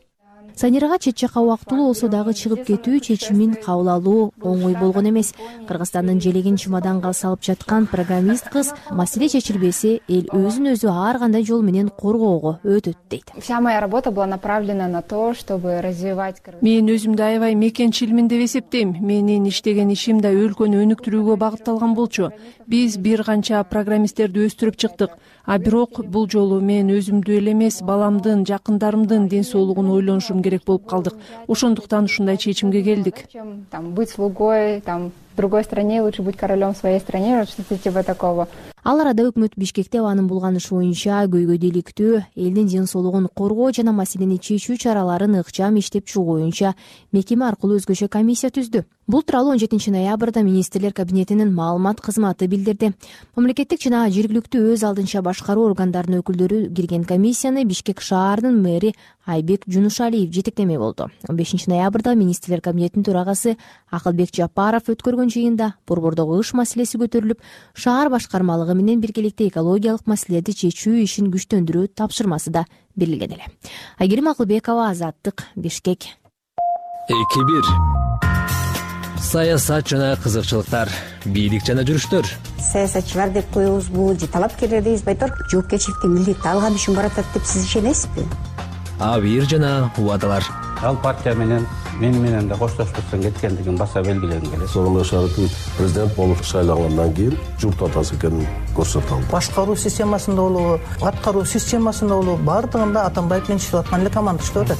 Санирага чет жакка убактылуу болсо дагы чыгып кетүү чечимин кабыл алуу оңой болгон эмес. Кыргызстандын желегин чемоданга салып жаткан программист кыз маселе чечилбесе, эл өзүн өзү ар кандай жол менен коргоого өтөт дейт. Вся моя работа была направлена на то, чтобы развивать. Мен өзүмдү аябай мекенчилмин деп эсептейм. Менин иштеген ишим да өлкөнү өнүктүрүүгө багытталган болчу. Биз бир канча программисттерди өстүрүп чыктык. А бирок бул жолу мен өзүмдү эле эмес, баламдын, жакындарымдын ден соолугун ойлонушум керек болуп калдык. Ошондуктан ушундай чечимге келдик. Там быть слугой, там в другой стране лучше быть королем в своей стране, что-то типа такого. Ал арада өкмөт Бишкекте абанын булганышы боюнча көйгөйдү иликтөө, элдин ден соолугун коргоо жана маселени чечүү чараларын ыкчам иштеп чыгуу боюнча мекеме аркылуу өзгөчө комиссия түздү. Бул тууралуу он жетинчи ноябрда министрлер кабинетинин маалымат кызматы билдирди. Мамлекеттик жана жергиликтүү өз алдынча башкаруу органдарынын өкүлдөрү кирген комиссияны Бишкек шаарынын мэри Айбек Жунушалиев жетектемек болду. он бешинчи ноябрда министрлер кабинетинин төрагасы Акылбек Жапаров өткөргөн жыйында борбордогу ыш маселеси көтөрүлүп, шаар башкармалыгы менен биргеликте экологиялык маселелерди чечүү ишин күчтөндүрүү тапшырмасы да берилген эле. Айгерим Акылбекова, Азаттык, Бишкек. эки бир саясат жана кызыкчылыктар, бийлик жана жүрүштөр. Саясатчылар деп коебузбу же талапкерлер дейбизби айтор, жоопкерчиликтин милдетти алган үчүн баратат деп сиз ишенесизби? Абийир жана убадалар. Ал партия менен мени менен да коштошпостон кеткендигин баса белгилегим келет. Сооронбай Шарипович президент болуп шайлангандан кийин журт атасы экенин көрсөтө алды. Башкаруу системасында болобу, аткаруу системасында болобу, баардыгында Атамбаев менен иштеп аткан эле команда иштеп атат.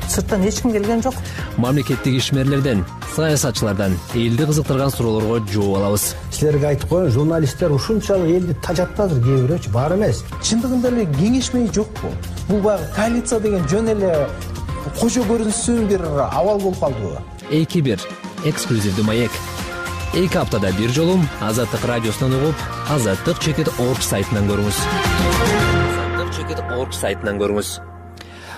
Сырттан эч ким келген жок. Мамлекеттик ишмерлерден, саясатчылардан элди кызыктырган суроолорго жооп алабыз. Силерге айтып коеюн, журналисттер ушунчалык элди тажатты азыр, кээ бирөөчү бар эмес. Чындыгында эле кеңешмей жокпу? Бул баягы коалиция деген жөн эле кожо көрүнсүн бир абал болуп калдыбы? эки бир эксклюзивдүү маек. эки аптада бир жолу Азаттык радиосунан угуп, азаттык чекит орг сайтынан көрүңүз. азаттык чекит орг сайтынан көрүңүз.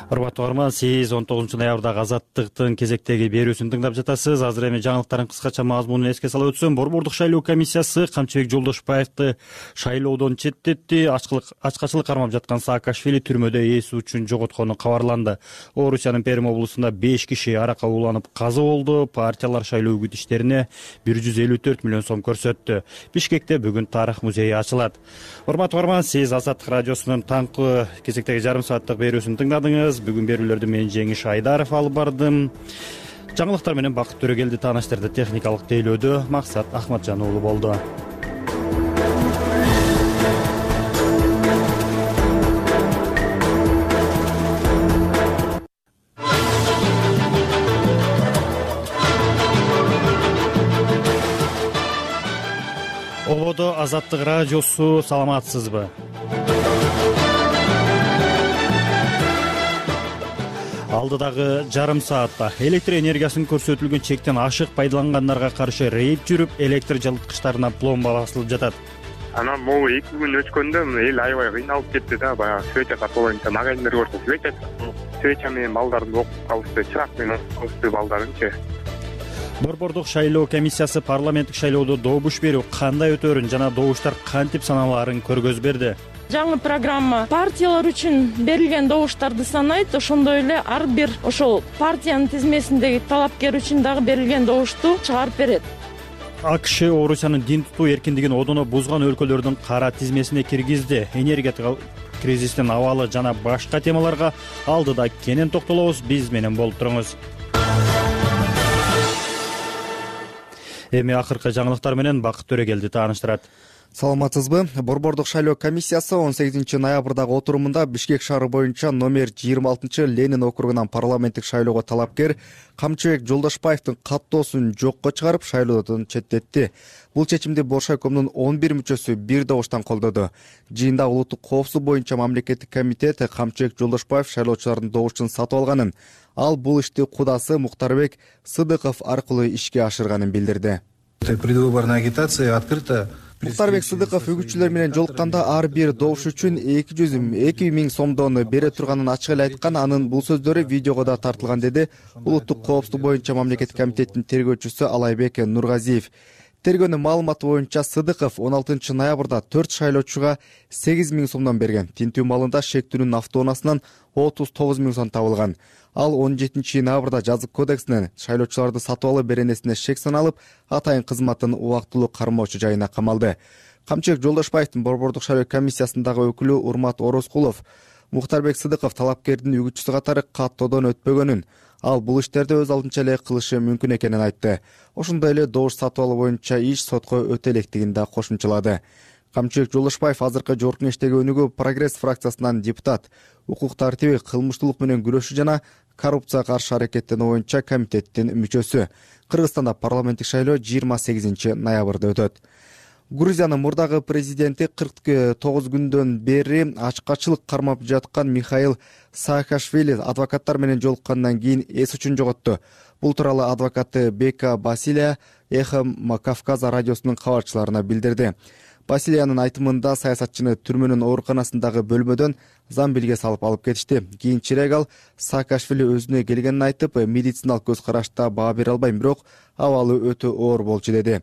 Урматтуу угарман, сиз он тогузунчу ноябрдагы Азаттыктын кезектеги берүүсүн тыңдап жатасыз. Азыр эми жаңылыктардын кыскача мазмунун эске салып өтсөм, Борбордук шайлоо комиссиясы Камчыбек Жолдошбаевди шайлоодон четтетти. Ачкачылык кармап жаткан Саакашвили түрмөдө эси үчүн жоготкону кабарланды. Орусиянын Перим облусунда беш киши аракка ууланып каза болду. Партиялар шайлоо үгүт иштерине бир жүз элүү төрт миллион сом көрсөттү. Бишкекте бүгүн тарых музейи ачылат. Урматтуу угарман, сиз Азаттык радиосунун таңкы кезектеги жарым сааттык берүүсүн тыңдадыңыз. Бүгүн берүүлөрдү мен Жеңиш Айдаров алып бардым. Жаңылыктар менен Бакыт Төрөгелди тааныштырды. Техникалык тейлөөдө Максат Ахматжан уулу болду. Ободо Азаттык радиосу, саламатсызбы? Алдыдагы жарым саатта электр энергиясын көрсөтүлгөн чектен ашык пайдалангандарга каршы рейд жүрүп, электр жылыткычтарына пломба басылып жатат. Анан могу эки күн өткөндө эл аябай кыйналып кетти да, баягы свеча сатып магазиндер көрсө свеча свеча менен балдарды окуп калышты, чырак менен окуп калышты балдарынчы. Борбордук шайлоо комиссиясы парламенттик шайлоодо добуш берүү кандай өтөөрүн жана добуштар кантип саналаарын көргөзүп берди. Жаңы программа партиялар үчүн берилген добуштарды санайт, ошондой эле ар бир ошол партиянын тизмесиндеги талапкер үчүн дагы берилген добушту чыгарып берет. АКШ Орусиянын дин тутуу эркиндигин одоно бузган өлкөлөрдүн кара тизмесине киргизди. Энергетика кризистин абалы жана башка темаларга алдыда кенен токтолобуз. Биз менен болуп туруңуз. Эми акыркы жаңылыктар менен Бакыт Төрөгелди тааныштырат. Саламатсызбы? Борбордук шайлоо комиссиясы он сегизинчи ноябрдагы отурумунда Бишкек шаары боюнча номер жыйырма алтынчы Ленин округунан парламенттик шайлоого талапкер Камчыбек Жолдошбаевдин каттоосун жокко чыгарып, шайлоодон четтетти. Бул чечимди Боршайкомдун он бир мүчөсү бир добуштан колдоду. Жыйында улуттук коопсуздук боюнча мамлекеттик комитет Камчыбек Жолдошбаев шайлоочулардын добушун сатып алганын, ал бул ишти кудасы Мухтарбек Сыдыков аркылуу ишке ашырганын билдирди. Предвыборная агитация открыта. Мухтарбек Сыдыков үгүтчүлөр менен жолукканда ар бир добуш үчүн эки жүз эки миң сомдон бере турганын ачык эле айткан. Анын бул сөздөрү видеого да тартылган, деди улуттук коопсуздук боюнча мамлекеттик комитеттин тергөөчүсү Алайбек Нургазиев. Тергөөнүн маалыматы боюнча Сыдыков он алтынчы ноябрда төрт шайлоочуга сегиз миң сомдон берген. Тинтүү малында шектүүнүн автоунаасынан отуз тогуз миң сом табылган. Ал он жетинчи ноябрда жазык кодексинен шайлоочуларды сатып алуу беренесине шек саналып, атайын кызматын убактылуу кармоочу жайына камалды. Камчыбек Жолдошбаевдин Борбордук шайлоо комиссиясындагы өкүлү Урмат Орозкулов Мухтарбек Сыдыков талапкердин үгүтчүсү катары каттоодон өтпөгөнүн, ал бул иштерди өз алдынча эле кылышы мүмкүн экенин айтты. Ошондой эле добуш сатып алуу боюнча иш сотко өтө электигин да кошумчалады. Камчыбек Жолдошбаев азыркы жогорку кеңештеги өнүгүү Прогресс фракциясынан депутат, укук тартиби, кылмыштуулук менен күрөшүү жана коррупцияга каршы аракеттенүү боюнча комитеттин мүчөсү. Кыргызстанда парламенттик шайлоо жыйырма сегизинчи ноябрда өтөт. Грузиянын мурдагы президенти кырк тогуз күндөн бери ачкачылык кармап жаткан Михаил Саакашвили адвокаттар менен жолуккандан кийин эс үчүн жоготту. Бул тууралуу адвокаты Бека Басилия Эхо Кавказа радиосунун кабарчыларына билдирди. Басилиянын айтымында саясатчыны түрмөнүн ооруканасындагы бөлмөдөн замбилге салып алып кетишти. Кийинчерээк ал Саакашвили өзүнө келгенин айтып, медициналык көз карашта баа бере албайм, бирок абалы өтө оор болчу деди.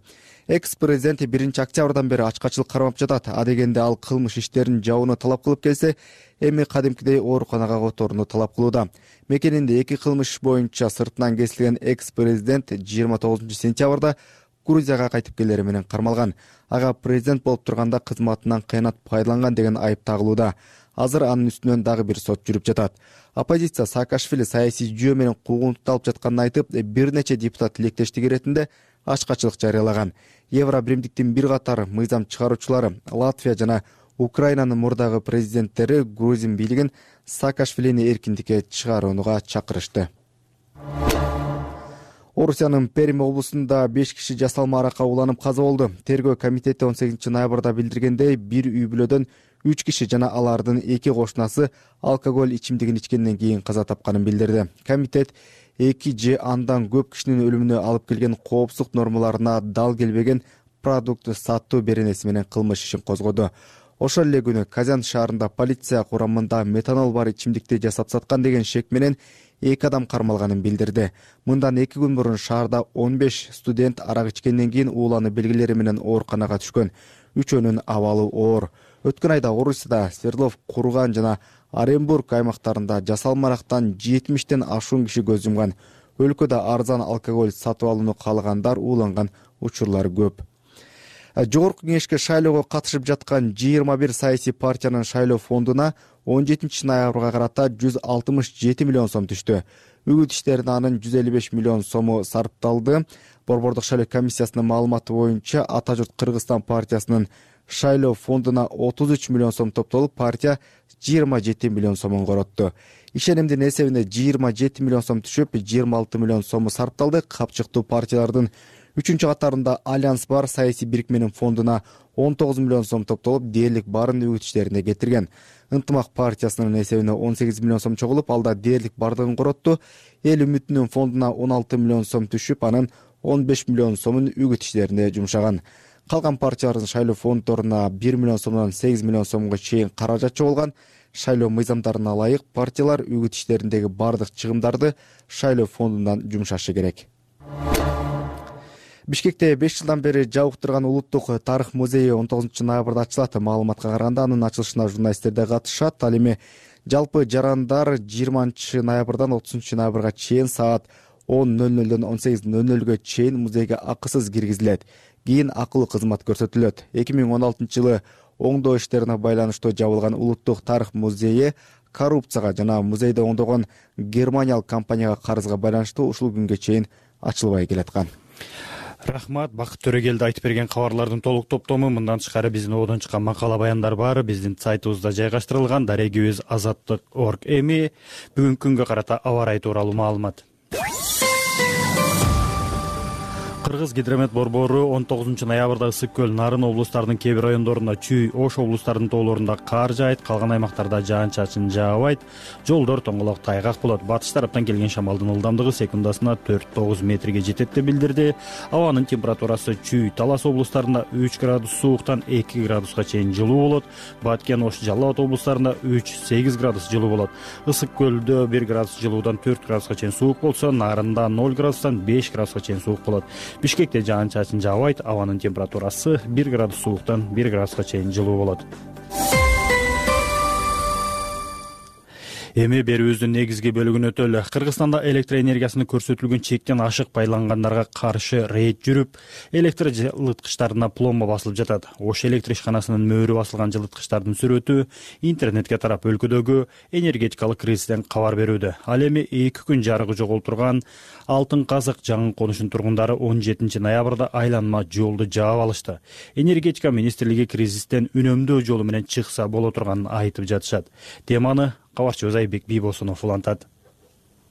Экс-президент биринчи октябрдан бери ачкачылык кармап жатат. Адегенде ал кылмыш иштерин жабууну талап кылып келсе, эми кадимкидей ооруканага которууну талап кылууда. Мекенинде эки кылмыш боюнча сыртынан кесилген экс-президент жыйырма тогузунчу сентябрда Грузияга кайтып келери менен кармалган. Ага президент болуп турганда кызматынан кыянат пайдаланган деген айып тагылууда. Азыр анын үстүнөн дагы бир сот жүрүп жатат. Оппозиция Саакашвили саясий жүйө менен куугунтукталып жатканын айтып, бир нече депутат тилектештик иретинде ачкачылык жарыялаган. Евробиримдиктин бир катар мыйзам чыгаруучулары Латвия жана Украинанын мурдагы президенттери Грузин бийлигин Саакашвилини эркиндикке чыгарууга чакырышты. Орусиянын Перим облусунда беш киши жасалма аракка ууланып каза болду. Тергөө комитети он сегизинчи ноябрда билдиргендей, бир үй бүлөдөн үч киши жана алардын эки кошунасы алкоголь ичимдигин ичкенден кийин каза тапканын билдирди. Комитет эки же андан көп кишинин өлүмүнө алып келген коопсуздук нормаларына дал келбеген продукт сатуу беренеси менен кылмыш ишин козгоду. Ошол эле күнү Казан шаарында полиция курамында метанол бар ичимдикти жасап саткан деген шек менен эки адам кармалганын билдирди. Мындан эки күн мурун шаарда он беш студент арак ичкенден кийин уулануу белгилери менен ооруканага түшкөн. Үчөөнүн абалы оор. Өткөн айда Орусияда Свердлов, Курган жана Оренбург аймактарында жасалма арактан жетимиштен ашуун киши көз жумган. Өлкөдө арзан алкоголь сатып алууну каалагандар ууланган учурлар көп. Жогорку кеңешке шайлоого катышып жаткан жыйырма бир саясий партиянын шайлоо фондуна он жетинчи ноябрга карата жүз алтымыш жети миллион сом түштү. Үгүт иштерине анын жүз элүү беш миллион сому сарпталды. Борбордук шайлоо комиссиясынын маалыматы боюнча Ата журт Кыргызстан партиясынын шайлоо фондуна отуз үч миллион сом топтолуп, партия жыйырма жети миллион сомун коротту. Ишенимдин эсебинде жыйырма жети миллион сом түшүп, жыйырма алты миллион сому сарпталды. Капчыктуу партиялардын үчүнчү катарында Альянс бар саясий бирикменин фондуна он тогуз миллион сом топтолуп, дээрлик барын үгүт иштерине кетирген. Ынтымак партиясынын эсебине он сегиз миллион сом чогулуп, алда дээрлик бардыгын коротту. Эл үмүтүнүн фондуна он алты миллион сом түшүп, анын он беш миллион сомун үгүт иштерине жумшаган. Калган партиялардын шайлоо фонддоруна бир миллион сомдон сегиз миллион сомго чейин каражат чогулган. Шайлоо мыйзамдарына ылайык партиялар үгүт иштериндеги бардык чыгымдарды шайлоо фондунан жумшашы керек. Бишкекте беш жылдан бери жабык турган улуттук тарых музейи он тогузунчу ноябрда ачылат. Маалыматка караганда анын ачылышына журналисттер да катышат. Ал эми жалпы жарандар жыйырманчы ноябрдан отузунчу ноябрга чейин саат он ноль нолдон он сегиз ноль нолго чейин музейге акысыз киргизилет. Кийин акылуу кызмат көрсөтүлөт. эки миң он алтынчы жылы оңдоо иштерине байланыштуу жабылган улуттук тарых музейи коррупцияга жана музейде оңдогон германиялык компанияга карызга байланыштуу ушул күнгө чейин ачылбай келаткан. Рахмат, Бакыт Төрөгелди айтып берген кабарлардын толук топтому. Мындан тышкары биздин одон чыккан макала баяндар бар. Биздин сайтыбызда жайгаштырылган. Дарегибиз азаттык точка орг. Эми бүгүнкү күнгө карата аба ырайы тууралуу маалымат. Кыргыз гидромет борбору он тогузунчу ноябрда Ысык көл, Нарын облустарынын кээ бир райондорунда Чүй, Ош облустарынын тоолорунда кар жаайт, калган аймактарда жаан-чачын жаабайт, жолдор тоңголок тайгак болот. Батыш тараптан келген шамалдын ылдамдыгы секундасына төрт тогуз метрге жетет деп билдирди. Абанын температурасы Чүй, Талас облустарында үч градус сууктан эки градуска чейин жылуу болот. Баткен, Ош, Жалал Абад облустарында үч сегиз градус жылуу болот. Ысык көлдө бир градус жылуудан төрт градуска чейин суук болсо, Нарында ноль градустан беш градуска чейин суук болот. Бишкекте жаан-чачын жаабайт, абанын температурасы бир градус сууктан бир градуска чейин жылуу болот. Эми берүүбүздүн негизги бөлүгүнө өтөлү. Кыргызстанда электр энергиясыны көрсөтүлгөн чектен ашык байлангандарга каршы рейд жүрүп, электр жылыткычтарына пломба басылып жатат. Ош электр ишканасынын мөөрү басылган жылыткычтардын сүрөтү интернетке тарап өлкөдөгү энергетикалык кризистен кабар берүүдө. Ал эми эки күн жарыгы жоголтурган Алтын Казык жаңы конушунун тургундары он жетинчи ноябрда айланма жолду жаап алышты. Энергетика министрлиги кризистен үнөмдөө жолу менен чыкса боло турганын айтып жатышат. Теманы кабарчыбыз Айбек Бийбосунов улантат.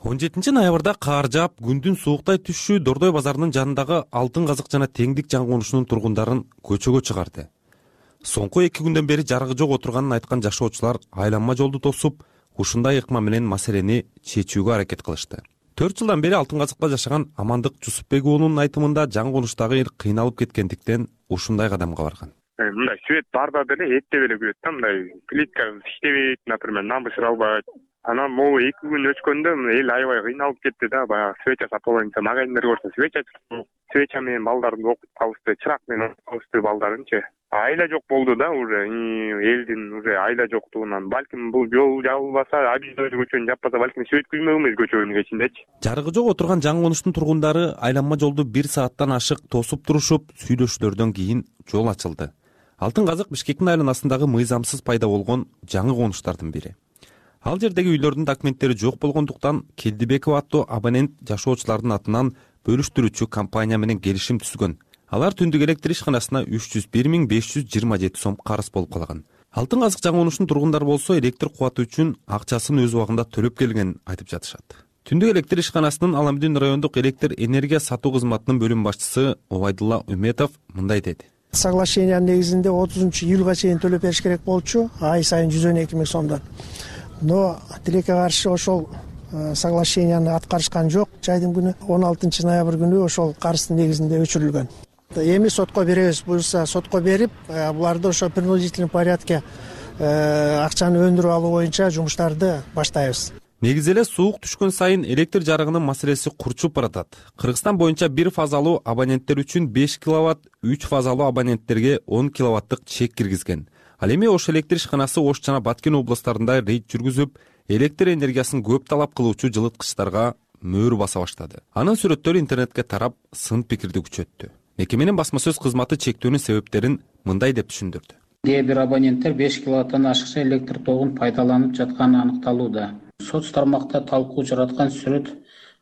он жетинчи ноябрда кар жаап, күндүн сууктай түшүшү Дордой базарынын жанындагы Алтын Казык жана Теңдик жаңы конушунун тургундарын көчөгө чыгарды. Соңку эки күндөн бери жарыгы жок отурганын айткан жашоочулар айланма жолду тосуп, ушундай ыкма менен маселени чечүүгө аракет кылышты. төрт жылдан бери Алтын Казыкта жашаган Амандык Жусупбек уулунун айтымында жаңы конуштагы эл кыйналып кеткендиктен ушундай кадамга барган. Мындай свет барда деле этте эле күйөт да, мындай плитка иштебейт, например, намбышыр албайт. Анан могу эки күн өткөндө эл аябай кыйналып кетти да, баягы свеча сатып алайынча магазиндер көрсө свеча свеча менен балдарын окуп калышты, чырак менен окуп калышты балдарынчы. Айла жок болду да, уже элдин уже айла жоктугунан. Балким бул жол жабылбаса, Абидой көчөнү жаппаса, балким свет күзмөйбүз көчөнүн кечиндечи. Жарыгы жок отурган жаңы конуштун тургундары айланма жолду бир сааттан ашык тосуп турушуп, сүйлөшүүлөрдөн кийин жол ачылды. Алтын Казык Бишкектин айланасындагы мыйзамсыз пайда болгон жаңы конуштардын бири. Ал жердеги үйлөрдүн документтери жок болгондуктан Келдибеков аттуу абонент жашоочулардын атынан бөлүштүрүүчү компания менен келишим түзгөн. Алар түндүк электр ишканасына үч жүз бир миң беш жүз жыйырма жети сом карыз болуп калган. Алтын Казык жаңы конушунун тургундары болсо электр кубаты үчүн акчасын өз убагында төлөп келгенин айтып жатышат. Түндүк электр ишканасынын Аламдин райондук электр энергия сатуу кызматынын бөлүм башчысы Обайдулла Үметов мындай деди. Соглашениянын негизинде отузунчу июлга чейин төлөп бериш керек болчу, ай сайын жүз он эки миң сомдон. Но тилекке каршы ошол соглашенияны аткарышкан жок. Жайдын күнү он алтынчы ноябрь күнү ошол карыздын негизинде өчүрүлгөн. эми сотко беребиз, буюрса сотко берип, буларды ошо принудительный порядке акчаны өндүрүп алуу боюнча жумуштарды баштайбыз. Негизи эле суук түшкөн сайын электр жарыгынын маселеси курчуп баратат. Кыргызстан боюнча бир фазалуу абоненттер үчүн беш киловатт, үч фазалуу абоненттерге он киловаттык чек киргизген. Ал эми Ош электр ишканасы Ош жана Баткен областарында рейд жүргүзүп, электр энергиясын көп талап кылуучу жылыткычтарга мөөр баса баштады. Анын сүрөттөрү интернетке тарап, сын пикирди күчөттү. Мекеменин басма сөз кызматы чектөөнүн себептерин мындай деп түшүндүрдү. Кээ бир абоненттер беш киловаттан ашыкча электр тогун пайдаланып жатканы аныкталууда. Соц тармакта талкуу жараткан сүрөт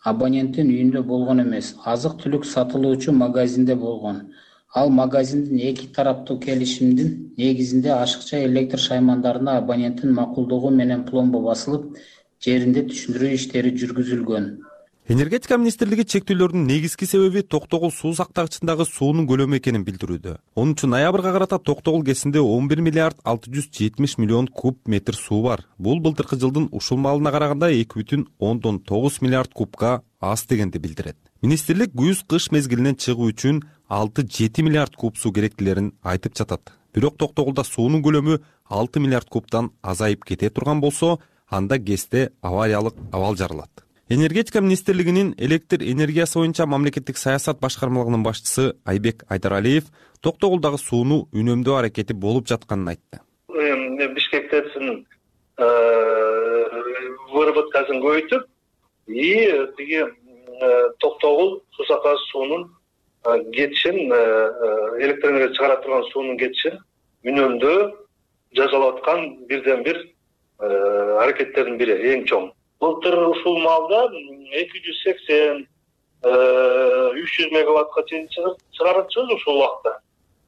абоненттин үйүндө болгон эмес, азык-түлүк сатылуучу магазинде болгон. Ал магазиндин эки тараптуу келишимдин негизинде ашыкча электр шаймандарына абоненттин макулдугу менен пломба басылып, жеринде түшүндүрүү иштери жүргүзүлгөн. Энергетика министрлиги чектөөлөрдүн негизги себеби Токтогул суу сактагычындагы суунун көлөмү экенин билдирүүдө. онунчу ноябрга карата Токтогул кесинде он бир миллиард алты жүз жетимиш миллион куб метр суу бар. Бул былтыркы жылдын ушул маалына караганда эки бүтүн ондон тогуз миллиард кубка аз дегенди билдирет. Министрлик күз-кыш мезгилинен чыгуу үчүн алты жети миллиард куб суу керектилерин айтып жатат. Бирок Токтогулда суунун көлөмү алты миллиард кубтан азайып кете турган болсо, анда КЭСте авариялык абал жарылат. Энергетика министрлигинин электр энергиясы боюнча мамлекеттик саясат башкармалыгынын башчысы Айбек Айдаралиев Токтогулдагы сууну үнөмдөө аракети болуп жатканын айтты. Бишкектесин выработкасын көбөйтүп, и тиги Токтогул суу сактагыч суунун кетишин, электр энергия чыгара турган суунун кетишин үнөмдөө жасалып аткан бирден бир аракеттердин бири, эң чоң. Былтыр ушул маалда эки жүз сексен үч жүз мегаваттка чейин чыгарчыбыз ушул убакта.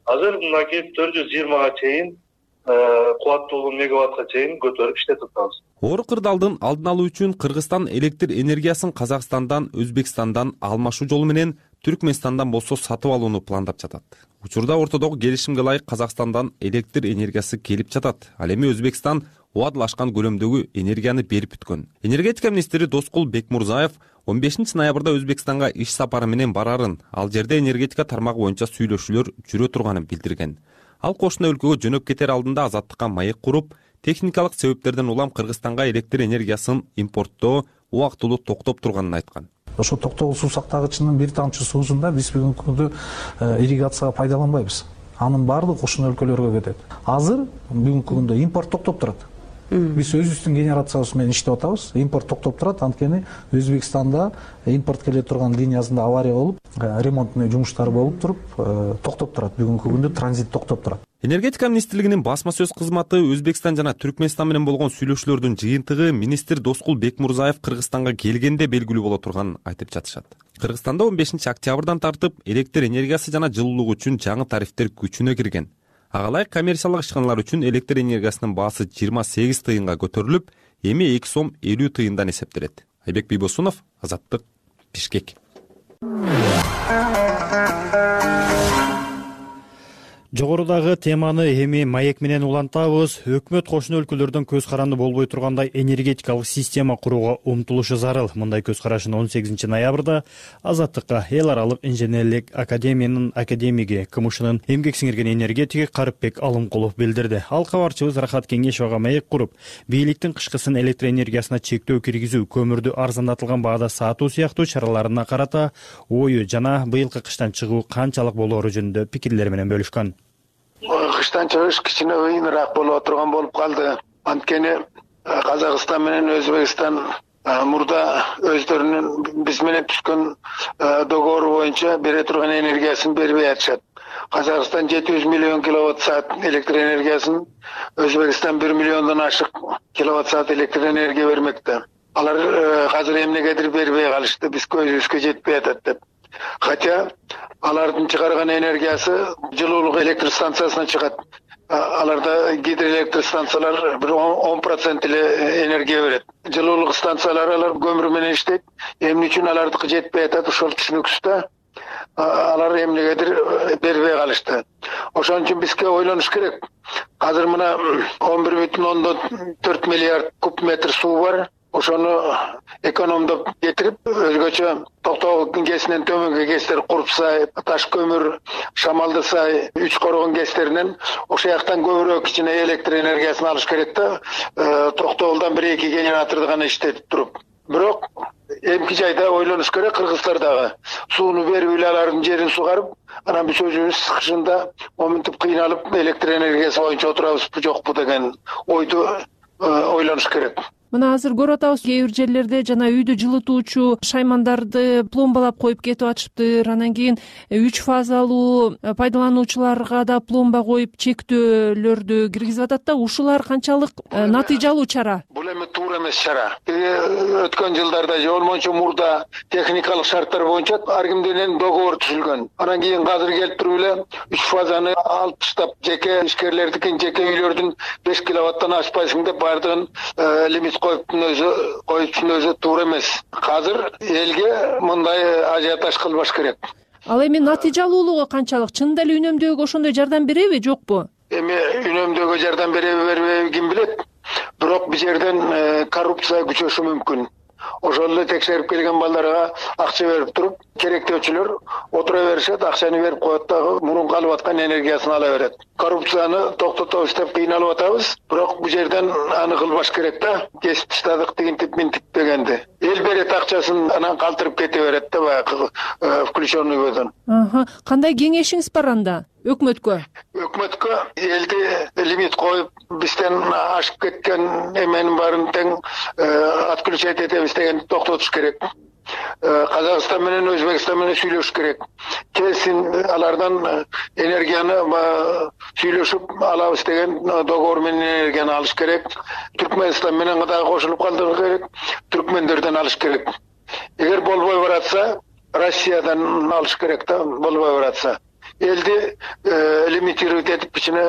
Азыр мына келип төрт жүз жыйырмага чейин кубаттуулугу мегаваттка чейин көтөрүп иштетип атабыз. Оор кырдаалдын алдын алуу үчүн Кыргызстан электр энергиясын Казакстандан, Өзбекстандан алмашуу жолу менен Түркмөнстандан болсо сатып алууну пландап жатат. Учурда ортодогу келишимге ылайык Казакстандан электр энергиясы келип жатат. Ал эми Өзбекстан убадылашкан көлөмдөгү энергияны берип бүткөн. Энергетика министри Доскул Бекмурзаев он бешинчи ноябрда Өзбекстанга иш сапары менен барарын, ал жерде энергетика тармагы боюнча сүйлөшүүлөр жүрө турганын билдирген. Ал кошуна өлкөгө жөнөп кетер алдында азаттыкка маек куруп, техникалык себептерден улам Кыргызстанга электр энергиясын импорттоо убактылуу токтоп турганын айткан. Ошо Токтогул суу сактагычынын бир тамчы суусунда биз бүгүнкү күндө ирригацияга пайдаланбайбыз. Анын баардыгы кошуна өлкөлөргө кетет. Азыр бүгүнкү күндө импорт токтоп турат. Биз өзүбүздүн генерациябыз менен иштеп атабыз. Импорт токтоп турат, анткени Өзбекстанда импорт келе турган линиясында авария болуп, ремонттуу жумуштар болуп туруп, токтоп турат. Бүгүнкү күндө транзит токтоп турат. Энергетика министрлигинин басма сөз кызматы Өзбекстан жана Түркмөнстан менен болгон сүйлөшүүлөрдүн жыйынтыгы министр Доскул Бекмурзаев Кыргызстанга келгенде белгилүү боло турганын айтып жатышат. Кыргызстанда он бешинчи октябрдан тартып электр энергиясы жана жылуулук үчүн жаңы тарифтер күчүнө кирген. Ага ылайык коммерциялык ишканалар үчүн электр энергиясынын баасы жыйырма сегиз тыйынга көтөрүлүп, эми эки сом элүү тыйындан эсептелет. Айбек Бийбосунов, Азаттык, Бишкек. Жогорудагы теманы эми маек менен улантабыз. Өкмөт кошуна өлкөлөрдөн көз каранды болбой тургандай энергетикалык система курууга умтулушу зарыл. Мындай көз карашын он сегизинчи ноябрда Азаттыкка эл аралык инженерлик академиянын академиги, КМШнын эмгек сиңирген энергетиги Карыпбек Алымкулов билдирди. Ал кабарчыбыз Рахат Кеңешовго маек куруп, бийликтин кышкысын электр энергиясына чектөө киргизүү, көмүрдү арзандатылган баада сатуу сыяктуу чараларына карата ою жана быйылкы кыштан чыгуу канчалык болоору жөнүндө пикирлер менен бөлүшкөн. Кыштан чыгыш кичине ыйыныраак болуп турган болуп калды. Анткени Казакстан менен Өзбекстан мурда өздөрүнүн биз менен түзгөн договору боюнча бере турган энергиясын бербей атышат. Казакстан жети жүз миллион киловатт саат электр энергиясын, Өзбекстан бир миллиондон ашык киловатт саат электр энергия бермекте. Алар азыр эмнегедир бербей калышты, биз көзүбүзгө жетпей атат деп. Хотя алардын чыгарган энергиясы жылуулук электр станциясына чыгат. Аларда гидроэлектр станциялар бир он процент эле энергия берет. Жылуулук станциялары алар көмүр менен иштейт. Эмне үчүн алардыкы жетпей атат, ошол түшүнүксүз да. Алар эмнегедир бербей калышты. Ошон үчүн бизге ойлонуш керек. Азыр мына он бир бүтүн ондон төрт миллиард куб метр суу бар. ошону экономдоп кетирип, өзгөчө Токтогул гэсинен төмөнгү гэстер Куруп сай, Таш көмүр, Шамалды сай, Үч Коргон гэстеринен ошол жактан көбүрөөк кичине электр энергиясын алыш керек да, Токтогулдан бир эки генераторду гана иштетип туруп. Бирок эмки жайда ойлонуш керек, кыргыздар дагы сууну берип эле алардын жерин сугарып, анан биз өзүбүз кышында моминтип кыйналып электр энергиясы боюнча отурабызбы жокпу деген ойду ойлонуш керек. Мына азыр көрүп атабыз, кээ бир жерлерде жана үйдү жылытуучу шаймандарды пломбалап коюп кетип атышыптыр. Анан кийин үч фазалуу пайдалануучуларга да пломба коюп чектөөлөрдү киргизип атат да. Ушулар канчалык натыйжалуу чара? Бул эми туура эмес чара. Өткөн жылдарда же болмончо мурда техникалык шарттар боюнча ар ким менен договор түзүлгөн. Анан кийин азыр келип туруп эле үч фазаны алып таштап, жеке ишкерлердикин, жеке үйлөрдүн беш киловаттан ашпайсың деп бардыгын лимит коюптун өзү коюптун өзү туура эмес. Азыр элге мындай ажиотаж кылбаш керек. Ал эми натыйжалуулугу канчалык? Чынында эле үнөмдөөгө ошондой жардам береби, жокпу? Эми үнөмдөөгө жардам береби, бербейби ким билет. Бирок бул жерден коррупция күчөшү мүмкүн. Ошол эле текшерип келген балдарга акча берип туруп, керектөөчүлөр отура беришет, акчаны берип коет дагы мурунку алып аткан энергиясын ала берет. Коррупцияны токтотобуз деп кыйналып атабыз, бирок бул жерден аны кылбаш керек да. Кесип таштадык, тигинтип минтип дегенди. Эл берет акчасын, анан калтырып кете берет да баягы включенный көдөн. Аха, кандай кеңешиңиз бар анда? Өкмөткө? Өкмөткө элди лимит коюп, бизден ашып кеткен эменин баарын тең отключать этебиз дегенди токтотуш керек. Казакстан менен Өзбекстан менен сүйлөшүш керек. Келсин алардан энергияны сүйлөшүп алабыз деген договор менен энергияны алыш керек. Түркмөнстан менен дагы кошулуп калдырыш керек. Түркмендерден алыш керек. Эгер болбой баратса, Россиядан алыш керек да, болбой баратса. Элди лимитировать этип кичине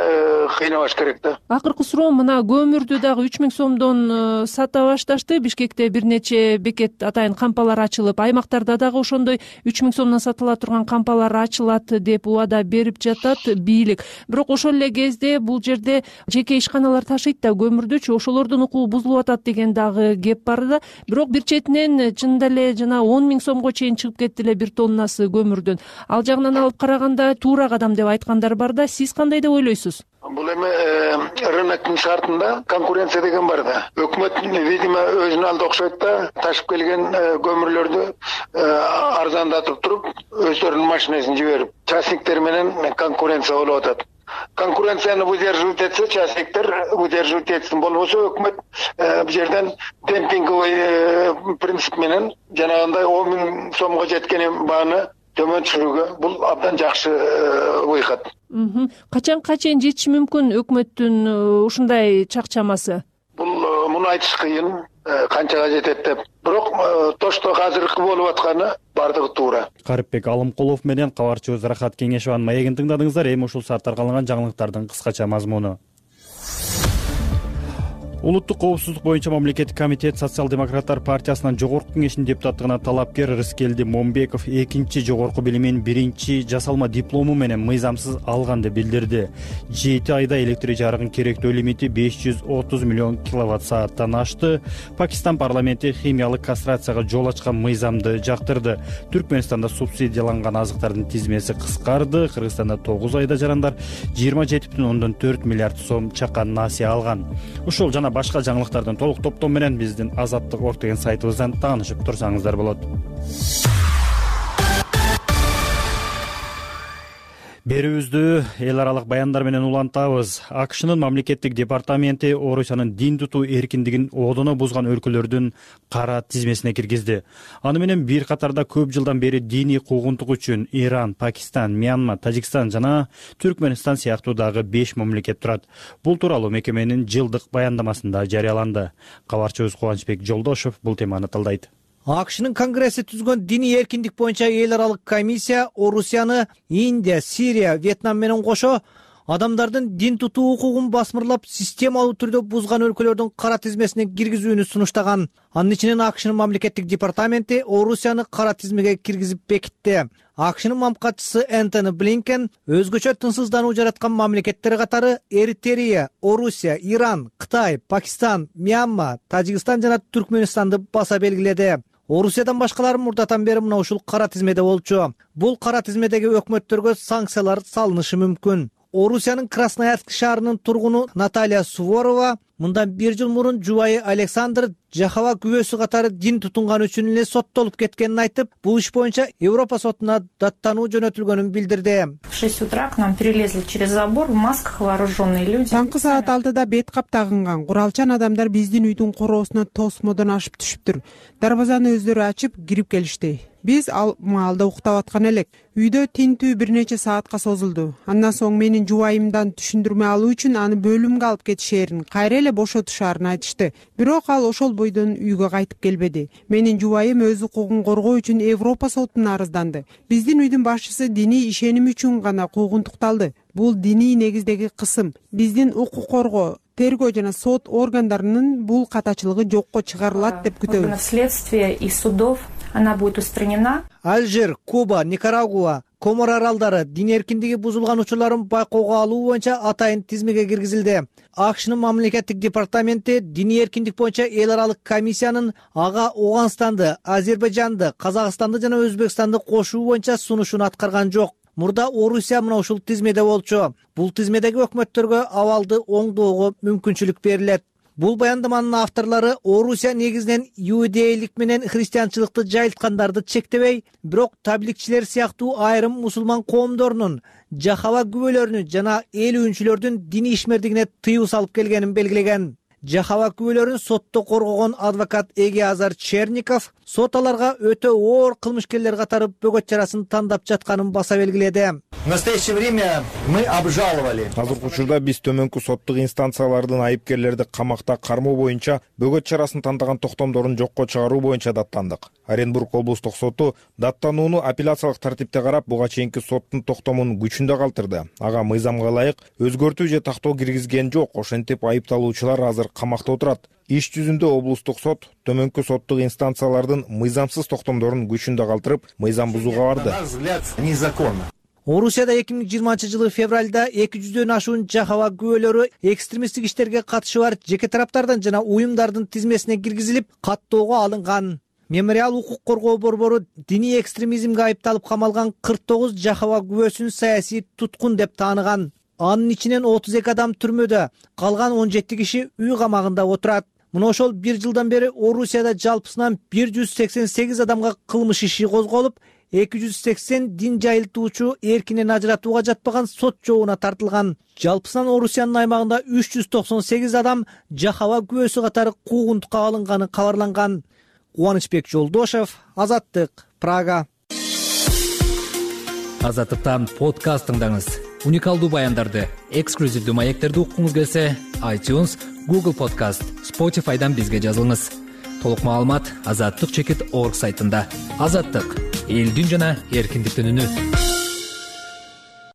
кыйнабаш керек да. Акыркы суроо, мына көмүрдү дагы үч миң сомдон сата башташты. Бишкекте бир нече бекет атайын кампалар ачылып, аймактарда дагы ошондой үч миң сомдон сатыла турган кампалар ачылат деп убада берип жатат бийлик. Бирок ошол эле кезде бул жерде жеке ишканалар ташыйт да көмүрдүчү, ошолордун укугу бузулуп атат деген дагы кеп бар да. Бирок бир четинен чынында эле жана он миң сомго чейин чыгып кетти эле бир тоннасы көмүрдөн. Ал жагынан алып караганда туура кадам деп айткандар бар да. Сиз кандай деп ойлойсуз? Бул эми рыноктун шартында конкуренция деген бар да. Өкмөт видимо өзүнүн алды окшойт да, ташып келген көмүрлөрдү арзандатып туруп, өздөрүнүн машинесин жиберип, частниктер менен конкуренция болуп атат. Конкуренцияны выдерживать этсе, частниктер выдерживать этсин, болбосо өкмөт бул жерден демпинговый принцип менен жанагындай он миң сомго жеткен бааны төмөн түшүрүүгө бул абдан жакшы ыйкат. Качанга чейин жетиши мүмкүн өкмөттүн ушундай чакчамасы? Бул муну айтыш кыйын, канчага жетет деп. Бирок тошто азыркы болуп атканы бардыгы туура. Карипбек Алымкулов менен кабарчыбыз Рахат Кеңешованын маегин тыңдадыңыздар. Эми ушул сааттарга алынган жаңылыктардын кыскача мазмуну. Улуттук коопсуздук боюнча мамлекеттик комитет Социал-демократтар партиясынын жогорку кеңешинин депутаттыгына талапкер Рыскелди Момбеков экинчи жогорку билимин биринчи жасалма диплому менен мыйзамсыз алган деп билдирди. жети айда электр жарыгынын керектөө лимити беш жүз отуз миллион киловатт сааттан ашты. Пакистан парламенти химиялык кастрацияга жол ачкан мыйзамды жактырды. Түркмөнстанда субсидияланган азыктардын тизмеси кыскарды. Кыргызстанда тогуз айда жарандар жыйырма жети бүтүн ондон төрт миллиард сом чакан насыя алган. Ушул жана башка жаңылыктардын толук топтому менен биздин Азаттык орг деген сайтыбыздан таанышып турсаңыздар болот. Берүүбүздү эл аралык баяндар менен улантабыз. АКШнын мамлекеттик департаменти Орусиянын дин тутуу эркиндигин одоно бузган өлкөлөрдүн кара тизмесине киргизди. Аны менен бир катарда көп жылдан бери диний куугунтук үчүн Иран, Пакистан, Мьянма, Тажикстан жана Түркмөнстан сыяктуу дагы беш мамлекет турат. Бул тууралуу мекеменин жылдык баяндамасында жарыяланды. Кабарчыбыз Кубанычбек Жолдошов бул теманы талдайт. АКШнын Конгресси түзгөн диний эркиндик боюнча эл аралык комиссия Орусияны Индия, Сирия, Вьетнам менен кошо адамдардын дин тутуу укугун басмырлап системалуу түрдө бузган өлкөлөрдүн кара тизмесине киргизүүнү сунуштаган. Анын ичинен АКШнын мамлекеттик департаменти Орусияны кара тизмеге киргизип бекитти. АКШнын мамлекатчысы Энтони Блинкен өзгөчө тынчсыздануу жараткан мамлекеттер катары Эритрея, Орусия, Иран, Кытай, Пакистан, Мьянма, Тажикстан жана Түркменистанды баса белгиледи. Орусиядан башкалары мурдатан бери мына ушул кара тизмеде болчу. Бул кара тизмедеги өкмөттөргө санкциялар салынышы мүмкүн. Орусиянын Красноярск шаарынын тургуну Наталья Суворова мындан бир жыл мурун жубайы Александр Жахава күбөсү катары дин тутунган үчүн эле соттолуп кеткенин айтып, бул иш боюнча Европа сотуна даттануу жөнөтүлгөнүн билдирди. В шесть утра к нам перелезли через забор в масках вооруженные люди. Таңкы саат алтыда бет кап тагынган куралчан адамдар биздин үйдүн короосуна тосмодон ашып түшүптүр. Дарбазаны өздөрү ачып кирип келишти. Биз ал маалда уктап аткан элек. Үйдө тинтүү бир нече саатка созулду. Андан соң менин жубайымдан түшүндүрмө алуу үчүн аны бөлүмгө алып кетишээрин, кайра эле бошотушаарын айтышты. Бирок ал ошол бойдон үйгө кайтып келбеди. Менин жубайым өз укугун коргоо үчүн Европа сотуна арызданды. Биздин үйдүн башчысы диний ишеним үчүн гана куугунтукталды. Бул диний негиздеги кысым. Биздин укук коргоо, тергөө жана сот органдарынын бул катачылыгы жокко чыгарылат деп күтөбүз. Следствие и судов она будет устранена. Алжир, Куба, Никарагуа, Комор аралдары дин эркиндиги бузулган учурларын байкоого алуу боюнча атайын тизмеге киргизилди. АКШнын мамлекеттик департаменти диний эркиндик боюнча эл аралык комиссиянын ага Ооганстанды, Азербайжанды, Казакстанды жана Өзбекстанды кошуу боюнча сунушун аткарган жок. Мурда Орусия мына ушул тизмеде болчу. Бул тизмедеги өкмөттөргө абалды оңдоого мүмкүнчүлүк берилет. Бул баяндаманын авторлору Орусия негизинен иудейлик менен христианчылыкты жайылткандарды чектебей, бирок табликчилер сыяктуу айрым мусулман коомдорунун, Жахава күбөлөрүнүн жана эл үйүнчүлөрдүн диний ишмердигине тыюу салып келгенин белгилеген. Жахава күбөлөрүн сотто коргогон адвокат Эгиазар Черников сот аларга өтө оор кылмышкерлер катары бөгөт чарасын тандап жатканын баса белгиледи. В настоящее время мы обжаловали. Азыркы учурда биз төмөнкү соттук инстанциялардын айыпкерлерди камакта кармоо боюнча бөгөт чарасын тандаган токтомдорун жокко чыгаруу боюнча даттандык. Оренбург облустук соту даттанууну апелляциялык тартипте карап, буга чейинки соттун токтомун күчүндө калтырды. Ага мыйзамга ылайык өзгөртүү же тактоо киргизген жок. Ошентип айыпталуучулар азыр камакта отурат. Иш жүзүндө облустук сот төмөнкү соттук инстанциялардын мыйзамсыз токтомдорун күчүндө калтырып, мыйзам бузууга барды. Орусияда эки миң жыйырманчы жылы февралда эки жүздөн ашуун Жахава күбөлөрү экстремисттик иштерге катышы бар жеке тараптардан жана уюмдардын тизмесине киргизилип, каттоого алынган. Мемориал укук коргоо борбору диний экстремизмге айыпталып камалган кырк тогуз Жахава күбөсүн саясий туткун деп тааныган. Анын ичинен отуз эки адам түрмөдө, калган он жети киши үй камагында отурат. Мына ошол бир жылдан бери Орусияда жалпысынан бир жүз сексен сегиз адамга кылмыш иши козголуп, эки жүз сексен дин жайылтуучу эркинен ажыратууга жатпаган сот жообуна тартылган. Жалпысынан Орусиянын аймагында үч жүз токсон сегиз адам Жахава күбөсү катары куугунтукка алынганы кабарланган. Кубанычбек Жолдошев, Азаттык, Прага. Азаттыктан подкаст тыңдаңыз. Уникалдуу баяндарды, эксклюзивдүү маектерди уккуңуз келсе, iTunes, Google Podcast, Spotify'дан бизге жазылыңыз. Толук маалымат азаттык чекит орг сайтында. Азаттык — элдин жана эркиндиктин үнү.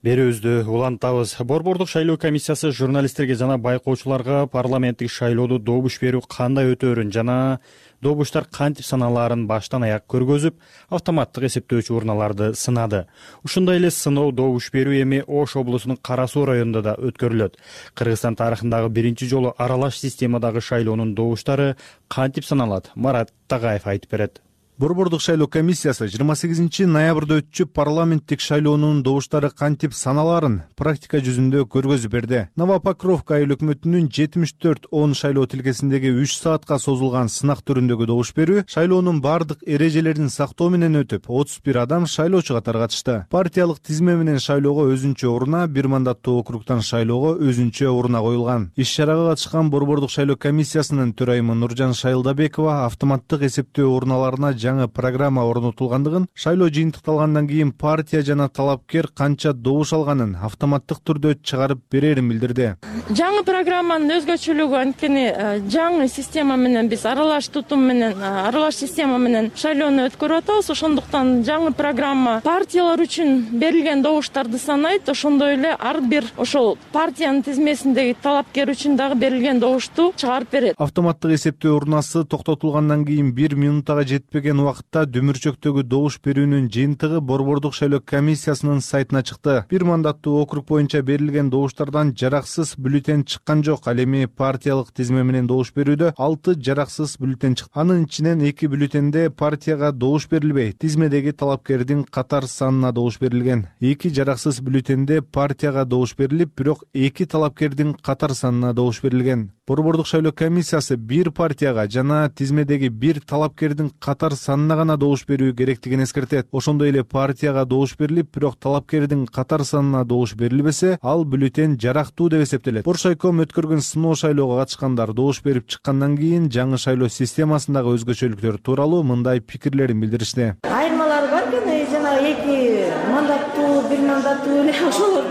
Берүүбүздү улантабыз. Борбордук шайлоо комиссиясы журналисттерге жана байкоочуларга парламенттик шайлоодо добуш берүү кандай өтөөрүн жана добуштар кантип саналаарын баштан аяк көргөзүп, автоматтык эсептөөчү урналарды сынады. Ушундай эле сыноо добуш берүү эми Ош облусунун Кара Суу районунда да өткөрүлөт. Кыргызстан тарыхындагы биринчи жолу аралаш системадагы шайлоонун добуштары кантип саналат? Марат Тагаев айтып берет. Борбордук шайлоо комиссиясы жыйырма сегизинчи ноябрда өтчү парламенттик шайлоонун добуштары кантип саналаарын практика жүзүндө көргөзүп берди. Новопокровка айыл өкмөтүнүн жетимиш төрт он шайлоо тилкесиндеги үч саатка созулган сынак түрүндөгү добуш берүү шайлоонун бардык эрежелерин сактоо менен өтүп, отуз бир адам шайлоочу катары катышты. Партиялык тизме менен шайлоого өзүнчө уруна, бир мандаттуу округтан шайлоого өзүнчө уруна коюлган. Иш-чарага катышкан борбордук шайлоо комиссиясынын төрайымы Нуржан Шайылдабекова автоматтык эсептөө урналарына жаңы программа орнотулгандыгын, шайлоо жыйынтыкталгандан кийин партия жана талапкер канча добуш алганын автоматтык түрдө чыгарып берерин билдирди. Жаңы программанын өзгөчөлүгү анткени жаңы система менен биз аралаш тутум менен, аралаш система менен шайлоону өткөрүп атабыз. Ошондуктан жаңы программа партиялар үчүн берилген добуштарды санайт, ошондой эле ар бир ошол партиянын тизмесиндеги талапкер үчүн дагы берилген добушту чыгарып берет. Автоматтык эсептөө урнасы токтотулгандан кийин бир минутага жетпеген убакытта дөмүрчөктөгү добуш берүүнүн жыйынтыгы Борбордук шайлоо комиссиясынын сайтына чыкты. Бир мандаттуу округ боюнча берилген добуштардан жараксыз бюллетень чыккан жок. Ал эми партиялык тизме менен добуш берүүдө алты жараксыз бюллетень чыкты. Анын ичинен эки бюллетенде партияга добуш берилбей, тизмедеги талапкердин катар санына добуш берилген. Эки жараксыз бюллетенде партияга добуш берилип, бирок эки талапкердин катар санына добуш берилген. Борбордук шайлоо комиссиясы бир партияга жана тизмедеги бир талапкердин катар санына гана добуш берүү керектигин эскертет. Ошондой эле партияга добуш берилип, бирок талапкердин катар санына добуш берилбесе, ал бюллетень жарактуу деп эсептелет. Боршайком өткөргөн сыноо шайлоого катышкандар добуш берип чыккандан кийин жаңы шайлоо системасындагы өзгөчөлүктөр тууралуу мындай пикирлерин билдиришти. Айырмалар бар экен, жанагы эки мандаттуу, бир мандаттуу эле ошол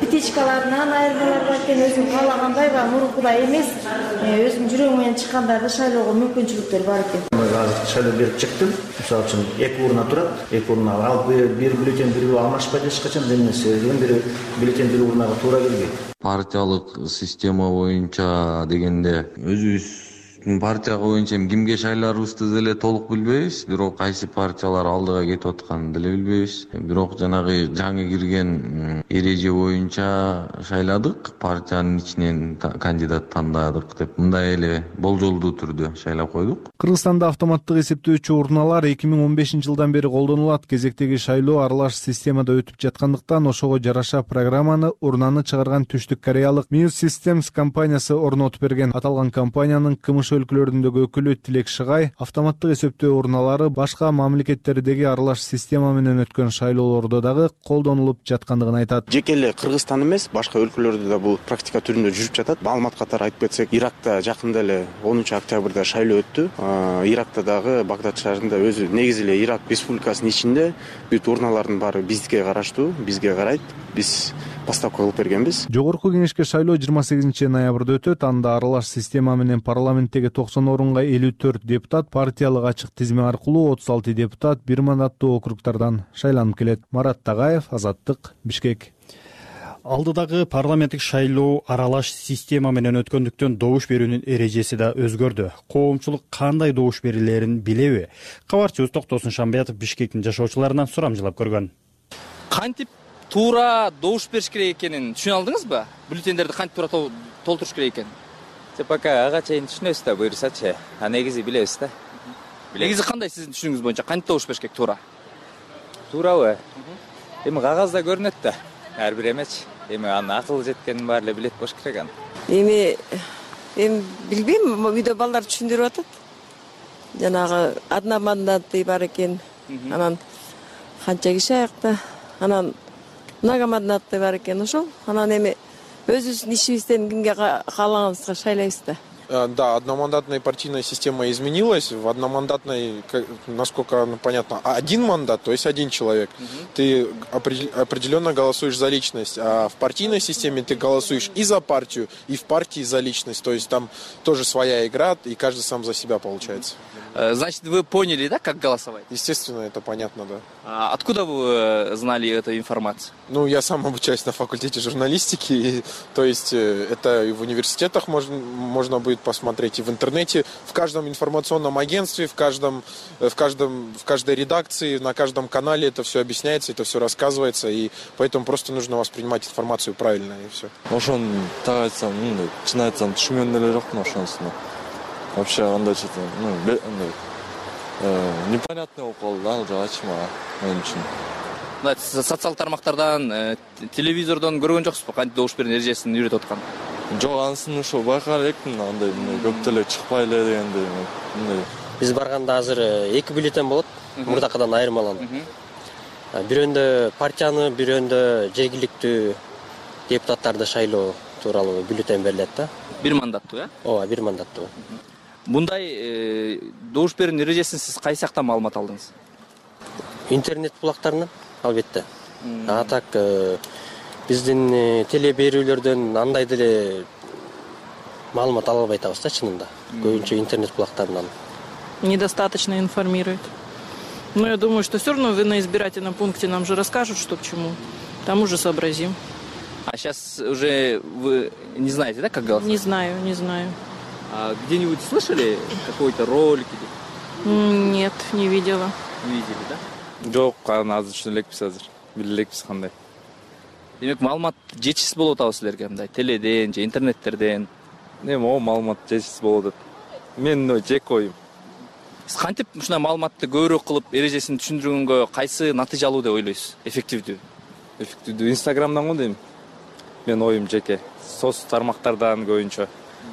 петичкаларынан айырмалар бар экен. Өзүм каалагандай баягы мурункудай эмес, өзүм жүрөгүм менен чыккандарды шайлоого мүмкүнчүлүктөр бар экен. Азыр шайлоо берип чыктым. Мисалы үчүн эки урна турат, эки урна ал бир бюллетень бирөө алмашпайт эч качан, эмесе бир бюллетень бир урнага туура келбейт. Партиялык система боюнча дегенде өзүбүз партия боюнча кимге шайларыбызды деле толук билбейбиз, бирок кайсы партиялар алдыга кетип атканын деле билбейбиз. Бирок жанагы жаңы кирген эреже боюнча шайладык, партиянын ичинен кандидат тандадык деп мындай эле болжолдуу түрдө шайлап койдук. Кыргызстанда автоматтык эсептөөчү урналар эки миң он бешинчи жылдан бери колдонулат. Кезектеги шайлоо аралаш системада өтүп жаткандыктан ошого жараша программаны урнаны чыгарган Түштүк Кореялык Muse Systems компаниясы орнотуп берген. Аталган компаниянын кымыш өлкөлөрүндөгү өкүлү Тилек Шыгай автоматтык эсептөө урналары башка мамлекеттердеги аралаш система менен өткөн шайлоолордо дагы колдонулуп жаткандыгын айтат. Жеке эле Кыргызстан эмес, башка өлкөлөрдө да бул практика түрүндө жүрүп жатат. Маалымат катары айтып кетсек, Иракта жакында эле онунчу октябрда шайлоо өттү. Иракта дагы Багдад шаарында өзү негизи эле Ирак республикасынын ичинде бүт урналардын баары бизге караштуу, бизге карайт. Биз поставка кылып бергенбиз. Жогорку кеңешке шайлоо жыйырма сегизинчи ноябрда өтөт. Анда аралаш система менен парламенттеги токсон орунга элүү төрт депутат, партиялык ачык тизме аркылуу отуз алты депутат бир мандаттуу округдардан шайланып келет. Марат Тагаев, Азаттык, Бишкек. Алдыдагы парламенттик шайлоо аралаш система менен өткөндүктөн добуш берүүнүн эрежеси да өзгөрдү. Коомчулук кандай добуш берилерин билеби? Кабарчыбыз Токтосун Шамбиятов Бишкектин жашоочуларынан сурамжылап көргөн. Кантип туура добуш бериш керек экенин түшүнө алдыңызбы? Бюллетендерди кантип туура толтуруш керек экенин? Пока ага чейин түшүнөбүз да, буюрсачы. А негизи билебиз да. Негизи кандай сиздин түшүнүгүңүз боюнча кантип добуш бериш керек туура? Туурабы? Эми кагазда көрүнөт да. Ар бир эмечи. Эми анын акыл жеткенин баары эле билет болуш керек аны. Эми эми билбейм, үйдө балдар түшүндүрүп атат. Жанагы одномандатный бар экен. Анан канча киши аякта. Анан многомандатный бар экен ошол. Анан эми өзүбүздүн ишибизден кимге каалаганыбызга шайлайбыз да. Да, одномандатная партийная система изменилась. В одномандатной, насколько понятно, один мандат, то есть один человек. Ты определенно голосуешь за личность. А в партийной системе ты голосуешь и за партию, и в партии за личность. То есть там тоже своя игра, и каждый сам за себя получается. Значит, вы поняли, да, как голосовать? Естественно, это понятно, да. А откуда вы знали эту информацию? Ну, я сам обучаюсь на факультете журналистики, и, то есть это и в университетах можно, можно будет посмотреть, и в интернете, в каждом информационном агентстве, в каждом, в каждом, в каждой редакции, на каждом канале это все объясняется, это все рассказывается, и поэтому просто нужно воспринимать информацию правильно, и все. Ошон так айтсам, чын айтсам, түшүнгөн деле жокмун ошонусуна. Вообще андай что-то, ну, непонятный болуп калды да, уже ачыма мен үчүн. Социал тармактардан, телевизордон көргөн жоксузбу кантип добуш берүүнүн эрежесин үйрөтүп аткан? Жок, анысын ошо байкар элекмин, андай көп деле чыкпай эле дегендей. Биз барганда азыр эки бюллетень болот, мурдакыдан айырмаланып. Бирөөндө партияны, бирөөндө жергиликтүү депутаттарды шайлоо тууралуу бюллетень берилет да. Бир мандаттуу, э? Ооба, бир мандаттуу. мындай добуш берүүнүн эрежесин сиз кайсы жактан маалымат алдыңыз? Интернет булактарынан албетте. А так биздин теле берүүлөрдөн андай деле маалымат ала албай атабыз да чынында. Көбүнчө интернет булактарынан. Недостаточно информирует. Но я думаю, что все равно вы на избирательном пункте нам же расскажут, что к чему. Там уже сообразим. А сейчас уже вы не знаете, да, как голосовать? Не знаю, не знаю. А где-нибудь слышали какой-то ролик? Нет, не видела. Не видели, да? Жок, кана азыр түшүнө элекпиз азыр. Биле элекпиз кандай. Демек, маалымат жетишсиз болуп атабы силерге мындай теледен же интернеттерден? Эми о маалымат жетишсиз болуп атат. Менин жеке оюм. Сиз кантип ушундай маалыматты көбүрөөк кылып, эрежесин түшүндүргөнгө кайсы натыйжа алуу деп ойлойсуз? Эффективдүү. Эффективдүү Инстаграмдан го дейм. Менин оюм жеке. Соц тармактардан көбүнчө.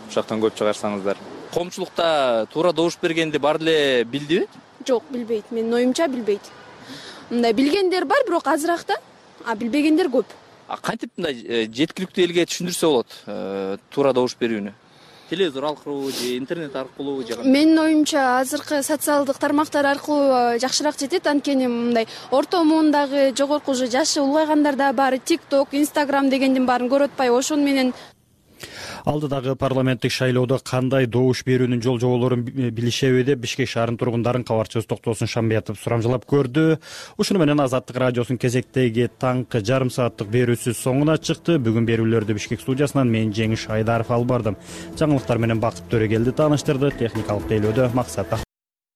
Ушактан көп чыгарсаңыздар. Коомчулукта туура добуш бергенди баары эле билдиби? Жок, билбейт. Менин оюмча билбейт. Мындай билгендер бар, бирок азыраак да, а билбегендер көп. А кантип мындай жеткиликтүү элге түшүндүрсө болот туура добуш берүүнү? Телевизор аркылуу же интернет аркылуу же? Менин оюмча азыркы социалдык тармактар аркылуу жакшыраак жетет, анткени мындай орто муундагы жогорку уже жашы улгайгандар да баары TikTok, Instagram дегендин баарын көрүп атпайбы? Ошону менен алдыдагы парламенттик шайлоодо кандай добуш берүүнүн жол жоболорун билишеби деп Бишкек шаарынын тургундарын кабарчыбыз Токтосун Шамбиятов сурамжылап көрдү. Ушуну менен Азаттык радиосунун кезектеги таңкы жарым сааттык берүүсү соңуна чыкты. Бүгүн берүүлөрдү Бишкек студиясынан мен Жеңиш Айдаров алып бардым. Жаңылыктар менен Бакыт Төрөгелди тааныштырды. Техникалык тейлөөдө Максат